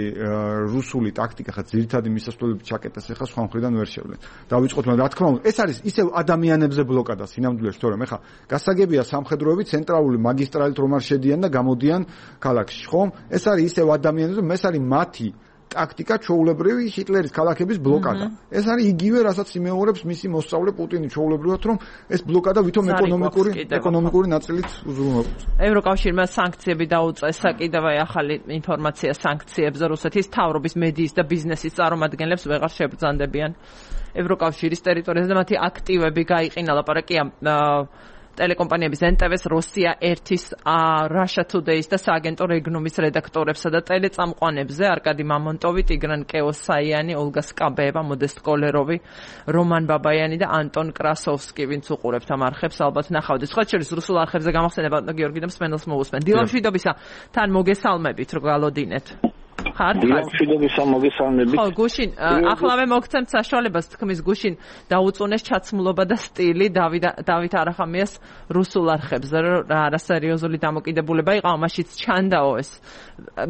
რუსული ტაქტიკა ხა ძირითადი მისასვლელებით ჩაკეტეს ახლა სხვა მხრიდან ვერ შევლენ. დავიწყოთ, მაგრამ რა თქმა უნდა, ეს არის ისევ ადამიანებზე ბლოკადა სინამდვილეში, თორემ ახლა გასაგებია სამხედროები ცენტრალური მაგისტრალით რომ არ შედიან და გამოდიან ქალაქში, ხო? ეს არის ისევ ადამიანებზე, ეს არის მათი ტაქტიკა ჩვეულებრივი ჰიტლერის ქალაქების ბლოკადა. ეს არის იგივე, რასაც იმეორებს მისი მოსწავლე პუტინი ჩვეულებრივად, რომ ეს ბლოკადა ვითომ ეკონომიკური ნაწილით უზრუნველყოფს. ევროკავშირმა სანქციები დაუწესა კიდევ ახალი ინფორმაცია სანქციებზე რუსეთის თავრობის მედიის და ბიზნესის წარმომადგენლებს ვეღარ შებრძანდებიან ევროკავშირის ტერიტორიაზე და მათი აქტივები გაიყინა. ლაპარაკია ტელეკომპანიების NTV-ს, Russia 1-ის, Russia Today-ის და სააგენტო რეგნუმის რედაქტორებსა და ტელეწამყვანებზე არკადი მამონტოვი, ტიგრან კეოსაიანი, ოლგა სკაბეევა, მოდესტ კოლეროვი, რომან ბაბაიანი და ანტონ კრასოვსკი, ვინც უყურებთ ამ არხებს, ალბათ ნახავთ. სხვა შორის რუსულ არხებზე გამახსენება გიორგი და მსმენელს მოусმენ. დილამშვიდობისა, თან მოგესალმებით, რო გალოდინეთ. დილამშვიდობისა, მოგესალმებით. ხო, გუშინ ახლავე მოგცემთ საშუალებას თქმის გუშინ დაუწუნეს ჩაცმულობა და სტილი დავით არახამიას რუსულ არხებზე, რა არასერიოზული დამოკიდებულება იყო, ამაშიც ჩანდაო ეს.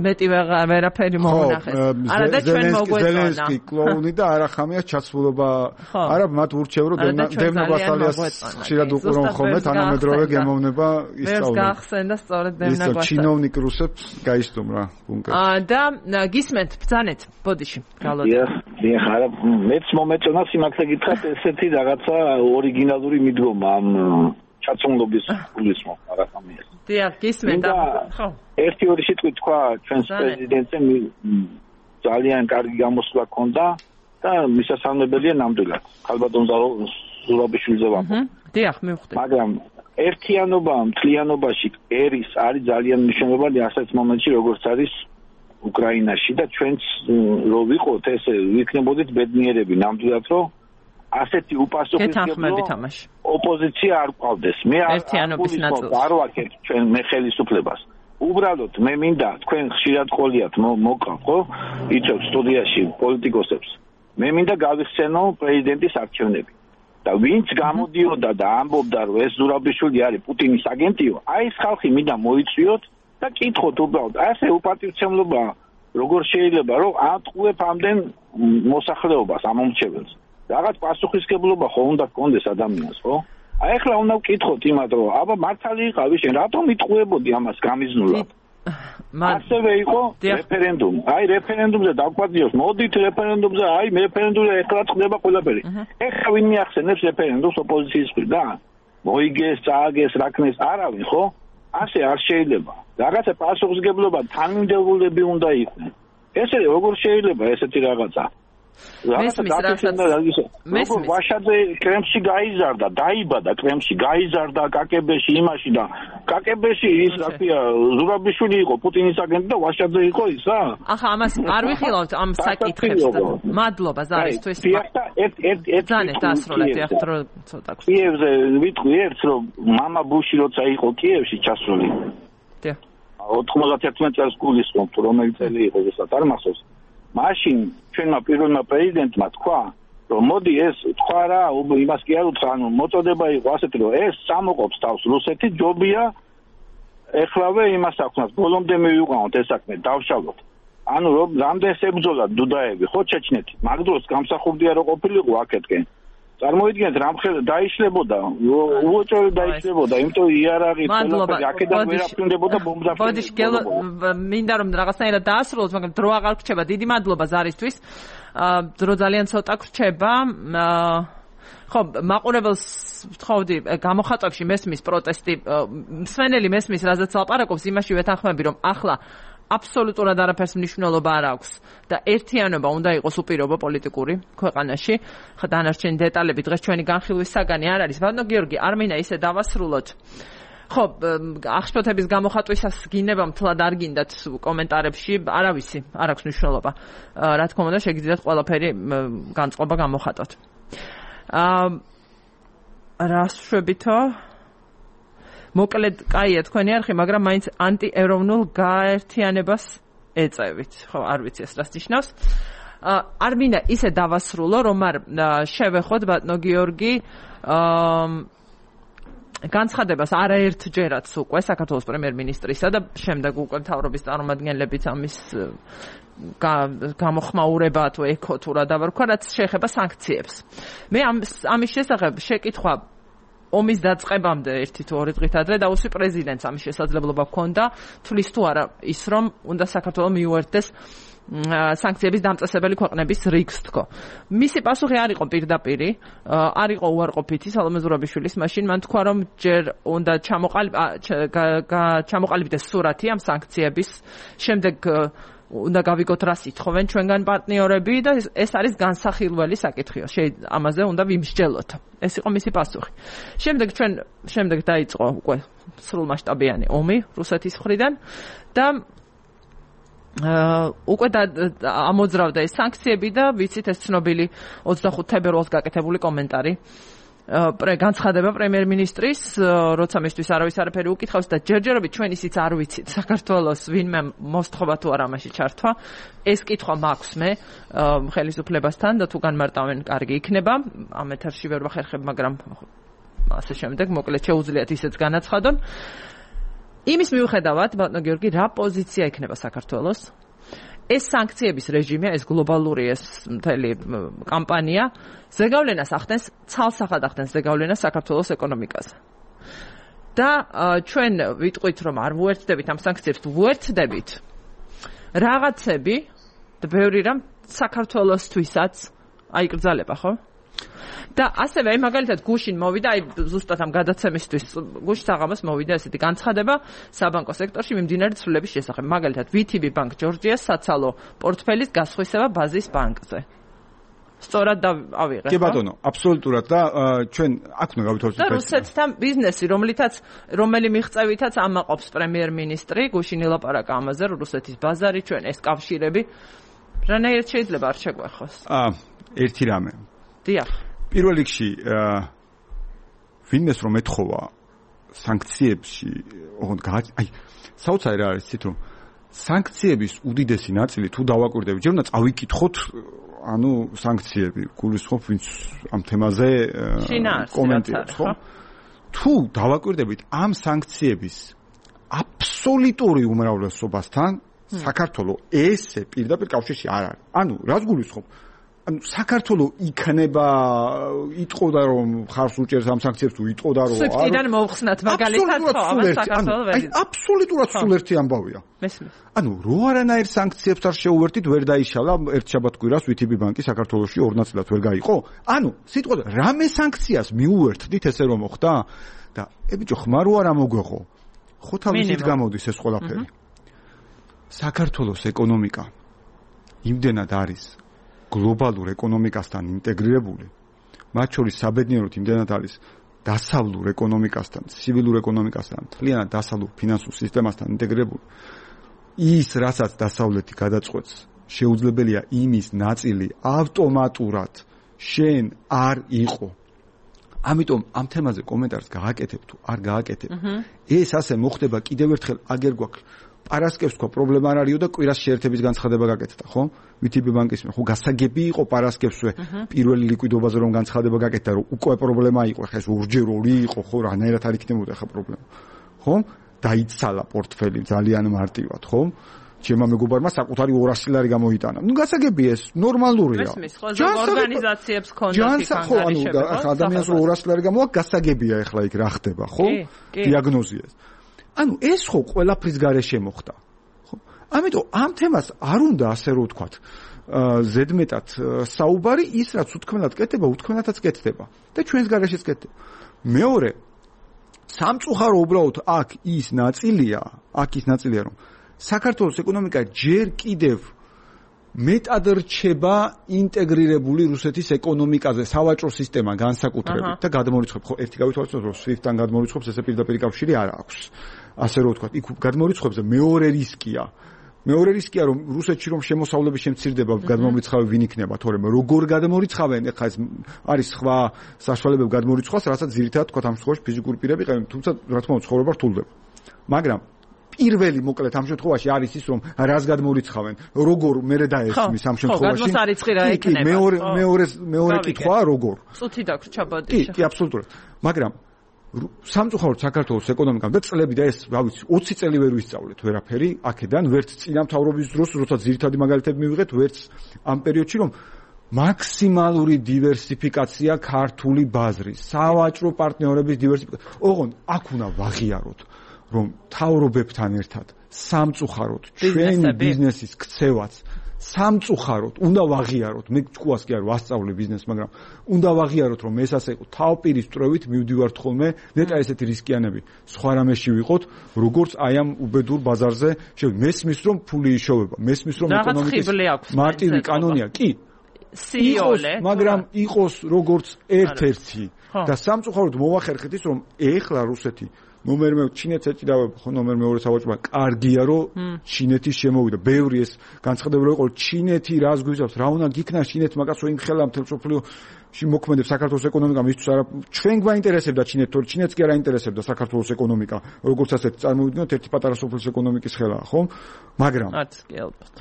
მეტი ვერაფერი მომნახეს. არა და ჩვენ მოგვეწონა. ზელენსკი კლოუნი და არახამიას ჩაცმულობა. არა, მათ ურჩევ რომ დევნო ბასალიას ხშირად უყურონ ხოლმე, თანამედროვე გემოვნება ისწავლონ. ეს გახსენდა სწორედ დევნა ბასალია. ჩინოვნიკ რუსებს გაისტუმ რა, ბუნკერში. და გისმენთ, ბრძანეთ, ბოდიში, გალოდე. დიახ, არა, მეც მომეწონა სიმართლე გითხრათ, ესეთი რაღაცა ორიგინალური მიდგომა ამ ჩაცმულობის გულისხმობ არახამიას. დიახ, გისმენთ, ხო. ერთი ორი სიტყვით თქვა ჩვენს პრეზიდენტზე ძალიან კარგი გამოსვლა ჰქონდა და მისასალმებელია ნამდვილად. ქალბატონ ზურაბიშვილზე ვამბობ. დიახ, მივხვდი. მაგრამ ერთიანობა მთლიანობაში არის ძალიან მნიშვნელოვანი ასეთ მომენტში, როგორც არის უკრაინაში და ჩვენც რო ვიყოთ ესე ვიქნებოდით ბედნიერები ნამდვილად რომ ასეთი უპასუხისმგებლო ოპოზიცია არ ყავდეს. მე არ ვაკეთებ ჩვენ მე ხელისუფლებას. უბრალოდ მე მინდა თქვენ ხშირად ყოლიათ მოკავ ხო? იცით სტუდიაში პოლიტიკოსებს. მე მინდა გავიხსენო პრეზიდენტის არჩევნები. და ვინც გამოდიოდა და ამბობდა რომ ეს ზურაბიშვილი არის პუტინის აგენტიო, აი ეს ხალხი მინდა მოიწვიოთ და კითხოთ უბრალოდ ასე უპატივცემლობა როგორ შეიძლება რომ ატყუებ ამდენ მოსახლეობას ამომრჩეველს. რაღაც პასუხისმგებლობა ხო უნდა გქონდეს ადამიანს, ხო? აი ახლა უნდა ვკითხოთ იმათ რომ აბა მართალი იყავი შენ რატომ იტყუებოდი ამას გამიზნულად? ასევე იყო რეფერენდუმი. აი რეფერენდუმზე დავკვადიოს, მოდით რეფერენდუმზე, აი რეფერენდუმზე ეხლა ხდება ყველაფერი. ეხლა ვინ მიახსენებს რეფერენდუმს ოპოზიციის მხრიდან? მოიგეს, წააგეს, რაკნეს არავინ, ხო? ასე არ შეიძლება. რაღაცა პასუხისმგებლობა თანმიმდევრულები უნდა იყვნენ. ესე როგორ შეიძლება ესეთი რაღაცა? მესმის ვაშაძე კრემში გაიზარდა, დაიბადა კრემში, გაიზარდა კაკებეში იმაში და კაკებეში ის რაფია ზურაბიშვილი იყო პუტინის აგენტი და ვაშაძე იყო ისა? ახლა ამას არ ვიხილავთ ამ საკითხებს და მადლობა ზარისთვის. ერთად დასრულეთ ახლა რო ცოტა. კიევზე ვიტყვი ერთს რომ მამა ბუში როცა იყო კიევში ჩასული. 91 წელს გულისხმობთ რომელი წელი იყო ზუსტად არ მახსოვს. მაშინ ჩვენმა პირველმა პრეზიდენტმა თქვა რომ მოდი ეს თქვა რა იმას კი არ უთხრა ანუ მოწოდება იყო ასეთი რომ ეს სამოყოფს თავს რუსეთი ჯობია ეხლავე იმას აქვს ბოლომდე მივიყვანოთ ეს საქმე დავშალოთ ანუ რომ რამდენს ებრძოლა დუდაევი ხო ჩეჩნეთი მაგ დროს გამსახურდია რომ ყოფილიყო აქეთკენ წარმოიდგინეთ რამხელა დაიშლებოდა უოჭორი დაიშლებოდა იმიტომ იარაღი ყველაფერი აქედან ვერაფრინდებოდა ბომბდაფრინდებოდა ბოდიში მინდა რომ რაღაცნაირად დაასრულოს მაგრამ დრო აღარ გრჩება დიდი მადლობა ზარისთვის დრო ძალიან ცოტა გრჩება ხო მაყურებელს ვთხოვდი გამოხატვებში მესმის პროტესტი მსმენელი მესმის რაზეც ლაპარაკობს იმაში ვეთანხმები რომ ახლა აბსოლუტურად არაფერს მნიშვნელობა არ აქვს და ერთიანობა უნდა იყოს უპირობო პოლიტიკური ქვეყანაში. ხა დანარჩენი დეტალები დღეს ჩვენი განხილვის საგანი არ არის. ბატონო გიორგი, არ მინდა ისე დავასრულოთ. ხო, აღშფოთების გამოხატვისას გინება მთლად არ გინდათ კომენტარებში, არავისი, არ აქვს მნიშვნელობა. რა თქმა უნდა, შეგიძლიათ ყველაფერი განწყობა გამოხატოთ. რას შვებითო? მოკლედ, კაია თქვენი არხი, მაგრამ მაინც ანტიეროვნულ გაერთიანებას ეწევით. ხო, არ ვიცი ეს რას ნიშნავს. არ მინდა ისე დავასრულო, რომ არ შევეხოთ ბატონო გიორგი განცხადებას არაერთჯერაც უკვე საქართველოს პრემიერ-მინისტრისა და შემდეგ უკვე მთავრობის წარმომადგენლებიც ამის გამოხმაურება თუ ეკო თუ რა დავარქვა, რაც შეეხება სანქციებს. მე ამის შესახებ შეკითხვა ომის დაწყებამდე 1-2 დღით ადრე დაუსვი პრეზიდენტს ამის შესაძლებლობა ჰქონდა, თulis თუ არა ის რომ უნდა საქართველოს მიუერთდეს სანქციების დამწესებელი ქვეყნების რიგს თქო. მისი პასუხი არ იყო პირდაპირი, არ იყო უარყოფითი სალომე ზურაბიშვილის, მაშინ მან თქვა რომ ჯერ უნდა ჩამოყალიბდეს სურათი ამ სანქციების, შემდეგ უნდა გავიგოთ რას ითხოვენ ჩვენგან პარტნიორები და ეს არის განსახილველი საკითხია. ამაზე უნდა ვიმსჯელოთ. ეს იყო მისი პასუხი. შემდეგ დაიწყო უკვე სრულმასშტაბიანი ომი რუსეთის მხრიდან და უკვე ამოძრავდა ეს სანქციები და ვიცით ეს ცნობილი 25 თებერვალს გაკეთებული კომენტარი განცხადება პრემიერ-მინისტრის, როცა მისთვის არავის არაფერი უკითხავს და ჯერჯერობით ჩვენ ისიც არ ვიცით საქართველოს ვინმე მოსთხოვა თუ არა ამაში ჩართვა. ეს კითხვა მაქვს მე ხელისუფლებასთან და თუ განმარტავენ კარგი იქნება. ამ ეთერში ვერ ვახერხებ, მაგრამ ასე შემდეგ მოკლედ შეუძლიათ ისეც განაცხადონ. იმის მიუხედავად, ბატონო გიორგი, რა პოზიცია იქნება საქართველოს? ეს სანქციების რეჟიმია, ეს გლობალური ეს მთელი კამპანია ზეგავლენას ახდენს, ცალსახად ახდენს ზეგავლენას საქართველოს ეკონომიკაზე. და ჩვენ ვიტყვით, რომ არ ვუერთდებით ამ სანქციებს, ვუერთდებით რაღაცები და ბევრი რამ საქართველოსთვისაც აიკრძალება, ხო? და ასევე მაგალითად გუშინ მოვიდა ზუსტად ამ გადაცემისთვის გუშინ საღამოს მოვიდა ესეთი განცხადება საბანკო სექტორში მიმდინარე ცვლილების შესახებ. მაგალითად VTB Bank Georgia's საცალო პორტფელის გასხვისება ბაზის ბანკზე. სწორად ავიღეთ. კი ბატონო, აბსოლუტურად და ჩვენ აქ უნდა გავითვალისწინოთ. და რუსეთთან ბიზნესი, რომელი მიღწევითაც ამაყობს პრემიერ-მინისტრი, გუშინ ელაპარაკა ამაზე, რუსეთის ბაზარი, ჩვენ ეს კავშირები რანაირად შეიძლება არ შეგვეხოს? ერთი რამე. დიახ. პირველ რიგში ვინმეს რომ ეთხოვა სანქციებში, საოცარი რა არის ცით რომ სანქციების უდიდესი ნაწილი თუ დავაკვირდებით, ჯერ უნდა წავიკითხოთ სანქციები, გულისხმობ ვინც ამ თემაზე კომენტირებს, ხო? თუ დავაკვირდებით ამ სანქციების აბსოლუტური უმრავლესობასთან საქართველოს ესე პირდაპირ კავშირში არ არის. რას გულისხმობ? საქართველოს იქნება იტყოდა რომ ხარს უჭერს ამ სანქციებს თუ იტყოდა რომ სუპტიდან მოვხსნათ მაგალითად საქართველოს აბსოლუტურად სულ ერთი ამბავია. მესმის. რო არანაირ სანქციებს არ შეუერთით, ვერ დაიშალა ერთ შაბათ-კვირას VTB ბანკი საქართველოში 2 ნაწილად ვერ გაიყო. სიტყვაზე რამე სანქციას მიუერთდით ესე რომ მოხდა და ბიჭო ხმარო არ ამოგვეღო. ხო თავისით გამოდის ეს ყველაფერი. საქართველოს ეკონომიკა იმდენად არის გლობალურ ეკონომიკასთან ინტეგრირებული, მათ შორის საბედნიეროდ იმდენად არის დასავლურ ეკონომიკასთან, ცივილურ ეკონომიკასთან, მთლიანად დასავლურ ფინანსურ სისტემასთან ინტეგრირებული. ის, რასაც დასავლეთი გადაწყვეტს, შეუძლებელია იმის ნაწილი ავტომატურად შენ არ იყო. ამიტომ ამ თემაზე კომენტარს გააკეთებ თუ არ გააკეთებ. ეს ასე მოხდება კიდევ ერთხელ აგერ გვაქვს პარასკევს თქვა პრობლემა არ არისო და კვირას შეერთების განცხადება გაკეთდა, ხო? VTB ბანკის ხო გასაგები იყო პარასკევსვე პირველი ლიკვიდობაზე რომ განცხადება გაკეთდა, რომ უკვე პრობლემა იყო, ხა ეს ორჯერ 2 იყო, ხო? რანაირად არ იქნებოდა ხა პრობლემა. ხო? დაიცალა პორტფელი ძალიან მარტივად, ხო? ჩემმა მეგობარმა საკუთარი 200 ლარი გამოიტანა. გასაგები ეს ნორმალურია. ორგანიზაციებს ქონდათ იქ ადამიანს 200 ლარი გამოაქვს, გასაგებია ეხლა იქ რა ხდება, ხო? დიაგნოზია. ეს ხო ყველაფრის გარეშე მოხდა. ხო? ამიტომ ამ თემას არ უნდა ასე რომ ვთქვათ, ზედმეტად საუბარი, ის რაც უთქმელად კეთდება, უთქმელადაც კეთდება და ჩვენს გარეშეც კეთდება. მეორე, სამწუხარო უბრალოდ აქ ის ნაწილია, რომ საქართველოს ეკონომიკა ჯერ კიდევ მეტად რჩება ინტეგრირებული რუსეთის ეკონომიკაზე, სავაჭრო სისტემა განსაკუთრებით და გადმორიცხებს, ხო, ერთი გავითვალისწინოთ, რომ SWIFT-თან გადმორიცხებს, ესე პირდაპირ კავშირი არ აქვს. ასე რომ ვთქვათ, იქ გადმორიცხებზე მეორე რისკია, რომ რუსეთში რომ შემოსავლები შემცირდება, გადმომრიცხავი ვინ იქნება, თორემ როგორ გადმორიცხავენ, ეხლა ეს არის სხვა საშუალებები გადმორიცხვას, რასაც ძირითადად თქვათ ამ შემთხვევაში ფიზიკური პირები ყევენ, თუმცა რა თქმა უნდა ცხოვრება რთულდება. მაგრამ პირველი მოკლედ ამ შემთხვევაში არის ის რომ რას გადმორიცხავენ, როგორ მერე დაესმის ამ შემთხვევაში. ხო, გადმოსარიცხი რა იქნება. მეორე კითხვაა როგორ. წუთი დაგრჩა ბოდიშა. კი, აბსოლუტურად. მაგრამ სამწუხაროდ საქართველოს ეკონომიკამ და წლები და ეს, რა ვიცი, 20 წელი ვერ ვისწავლეთ ვერაფერი აქედან, ვერც წინა მთავრობის დროს, როცა ძირითადი მაგალითები მივიღეთ, ვერც ამ პერიოდში, რომ მაქსიმალური დივერსიფიკაცია ქართული ბაზრის, სავაჭრო პარტნიორების დივერსიფიკაცია. ოღონდ აქ უნდა ვაღიაროთ, რომ მთავრობებთან ერთად სამწუხაროდ ჩვენი ბიზნესის ქცევაც სამწუხაროდ უნდა ვაღიაროთ, მე თქვას კი არ ვასწავლე ბიზნესს, მაგრამ უნდა ვაღიაროთ, რომ ეს ასე იყო თავპირის წრევით მივდივართ ხოლმე, ნეტა ესეთი რისკიანები სხვა რამეში ვიყოთ, როგორც აი ამ უბედურ ბაზარზე, მესმის რომ ფული იშოვება, მესმის რომ ეკონომიკის მარტივი კანონია, კი სიოლე, მაგრამ იყოს როგორც ერთ-ერთი და სამწუხაროდ მოვახერხეთ ის, რომ ეხლა რუსეთი ნომერ მე ჩინეთს ეჭიდავება, ხო ნომერ მეორე სავაჭრო, კარგია რომ ჩინეთი შემოვიდა. ბევრი ეს განცხადებები იყო, ჩინეთი რას გვიზავს, რა უნდა გიქნა ჩინეთმა კაცო იმ ხელა მთელ სოფლიოში მოქმედებს საქართველოს ეკონომიკა, მისთვის არა ჩვენ გვაინტერესებდა ჩინეთი, თორე ჩინეთს კი არ აინტერესებდა საქართველოს ეკონომიკა, როგორც ასეთ წარმოვიდგინოთ ერთი პატარა სოფლის ეკონომიკის ხელა, ხო? მაგრამ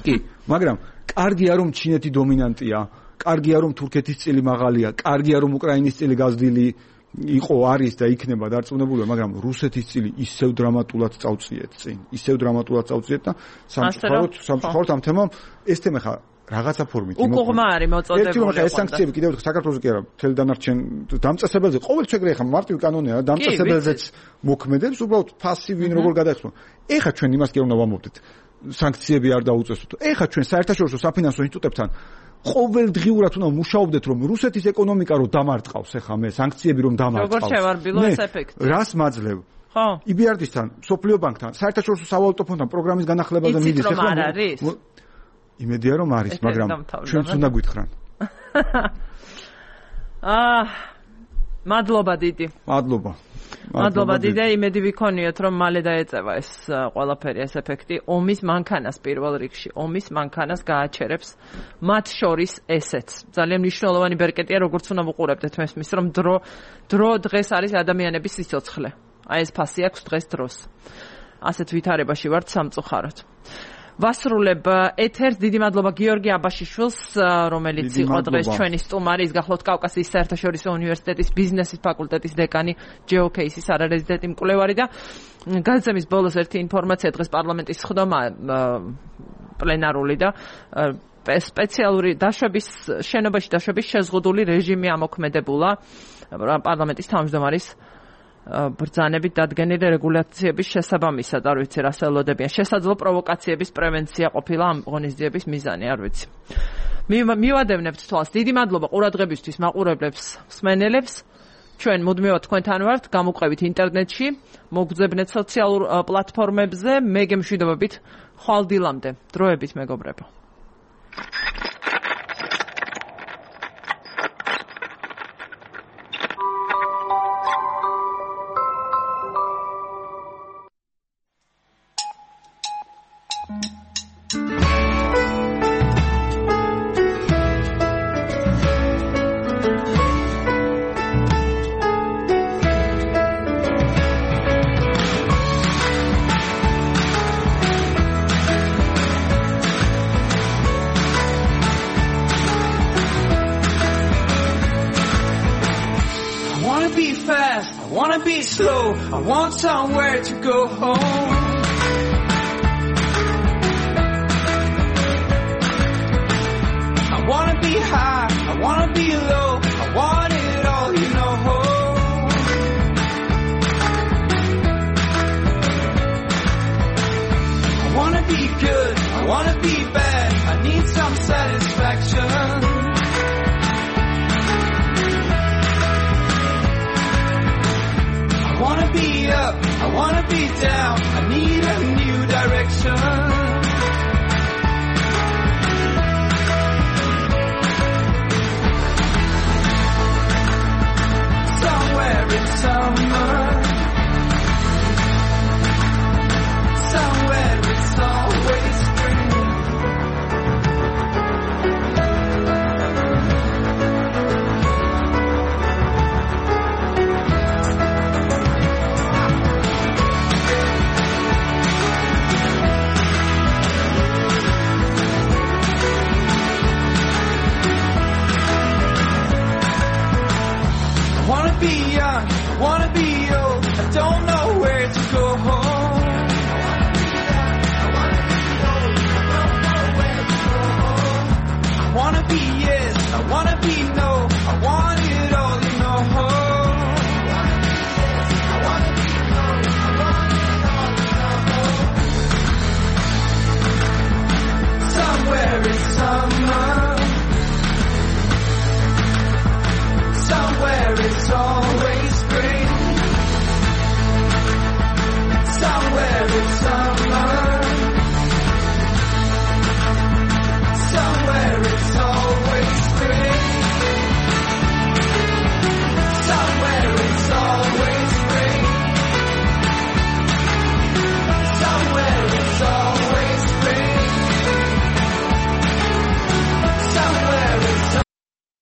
კი, მაგრამ კარგია რომ ჩინეთი დომინანტია, კარგია რომ თურქეთის წილი მაღალია, კარგია რომ უკრაინის წილი გაზრდილი იყო არის და იქნება დარწმუნებულია, მაგრამ რუსეთის წილი ისევ დრამატულად წავწიეთ წინ. ისევ დრამატულად წავწიეთ და სამწუხაროდ ამ თემამ ეს თემა ხა რაღაცა ფორმით უკუღმა არის მოწოდებული. ეს სანქციები კიდევ საქართველოს კი არა, მთელ დანარჩენ დამწესებელზე ყოველ შეგვიძლია ხა მარტივი კანონია, დამწესებელზეც მოქმედებს, უბრალოდ ფასივინ როგორ გადაიხსნა. ეხა ჩვენ იმას კი არ უნდა ვამოვდეთ. სანქციები არ დაუწესოთ. ეხა ჩვენ საერთაშორისო საფინანსო ინსტიტუტებთან ყოველდღიურად უნდა მუშაობდეთ, რომ რუსეთის ეკონომიკა რომ დამარტყავს, ახლა მე სანქციები რომ დამარტყავს. როგორ შევარბილო ეს ეფექტი? რას მაძლევ? ხო. EBRD-სთან, სოფლიო ბანკთან, საერთაშორისო სავალუტო ფონდთან პროგრამის განახლებაზე მიდის. ეხლა არ არის? იმედია რომ არის, მაგრამ ჩვენც უნდა გვითხრან. მადლობა დიდი. მადლობა დიდი, იმედი ვიქონიოთ, რომ მალე დაეწევა ეს ყველაფერი, ეს ეფექტი ომის მანქანას პირველ რიგში, ომის მანქანას გააჩერებს მათ შორის ესეც. ძალიან მნიშვნელოვანი ბერკეტია, როგორც უნდა ვუყურებდეთ მესმის, რომ დრო დღეს არის ადამიანების სიცოცხლე. აი ეს ფასი აქვს დღეს დროს. ასეთ ვითარებაში ვართ სამწუხაროდ. ვასრულებ ეთერს, დიდი მადლობა გიორგი აბაშიშვილს, რომელიც იყო დღეს ჩვენი სტუმარი, ის გახლავთ კავკასიის საერთაშორისო უნივერსიტეტის ბიზნესის ფაკულტეტის დეკანი, GeoCase-ის არარეზიდენტი მკვლევარი და გაზემის ბოლოს ერთი ინფორმაცია, დღეს პარლამენტის სხდომა პლენარული და სპეციალური შენობაში დაშვების შეზღუდული რეჟიმი ამოქმედებულა პარლამენტის თავმჯდომარის ბრძანებით დადგენილი რეგულაციების შესაბამისად, არ ვიცი რას ელოდებიან. შესაძლო პროვოკაციების პრევენცია ყოფილა ამ ღონისძიების მიზანი, არ ვიცი. მივადევნებთ თვალს. დიდი მადლობა ყურადღებისთვის მაყურებლებს, მსმენელებს. ჩვენ მუდმივად თქვენთან ვართ, გამოყვებით ინტერნეტში, მოგძებნეთ სოციალურ პლატფორმებზე, მე გემშვიდობებით ხვალ დილამდე. დროებით მეგობრებო. I want somewhere to go home. I wanna be high, I wanna be low, I want it all, you know. I wanna be good, I wanna be bad, I need some satisfaction. I wanna be up, I wanna be down, I need a new direction. Somewhere in summer, somewhere it's always spring. Wanna be young, wanna be old. don't know where to go home. I wanna be yes, I wanna be no, I want it all, you know. Somewhere in summer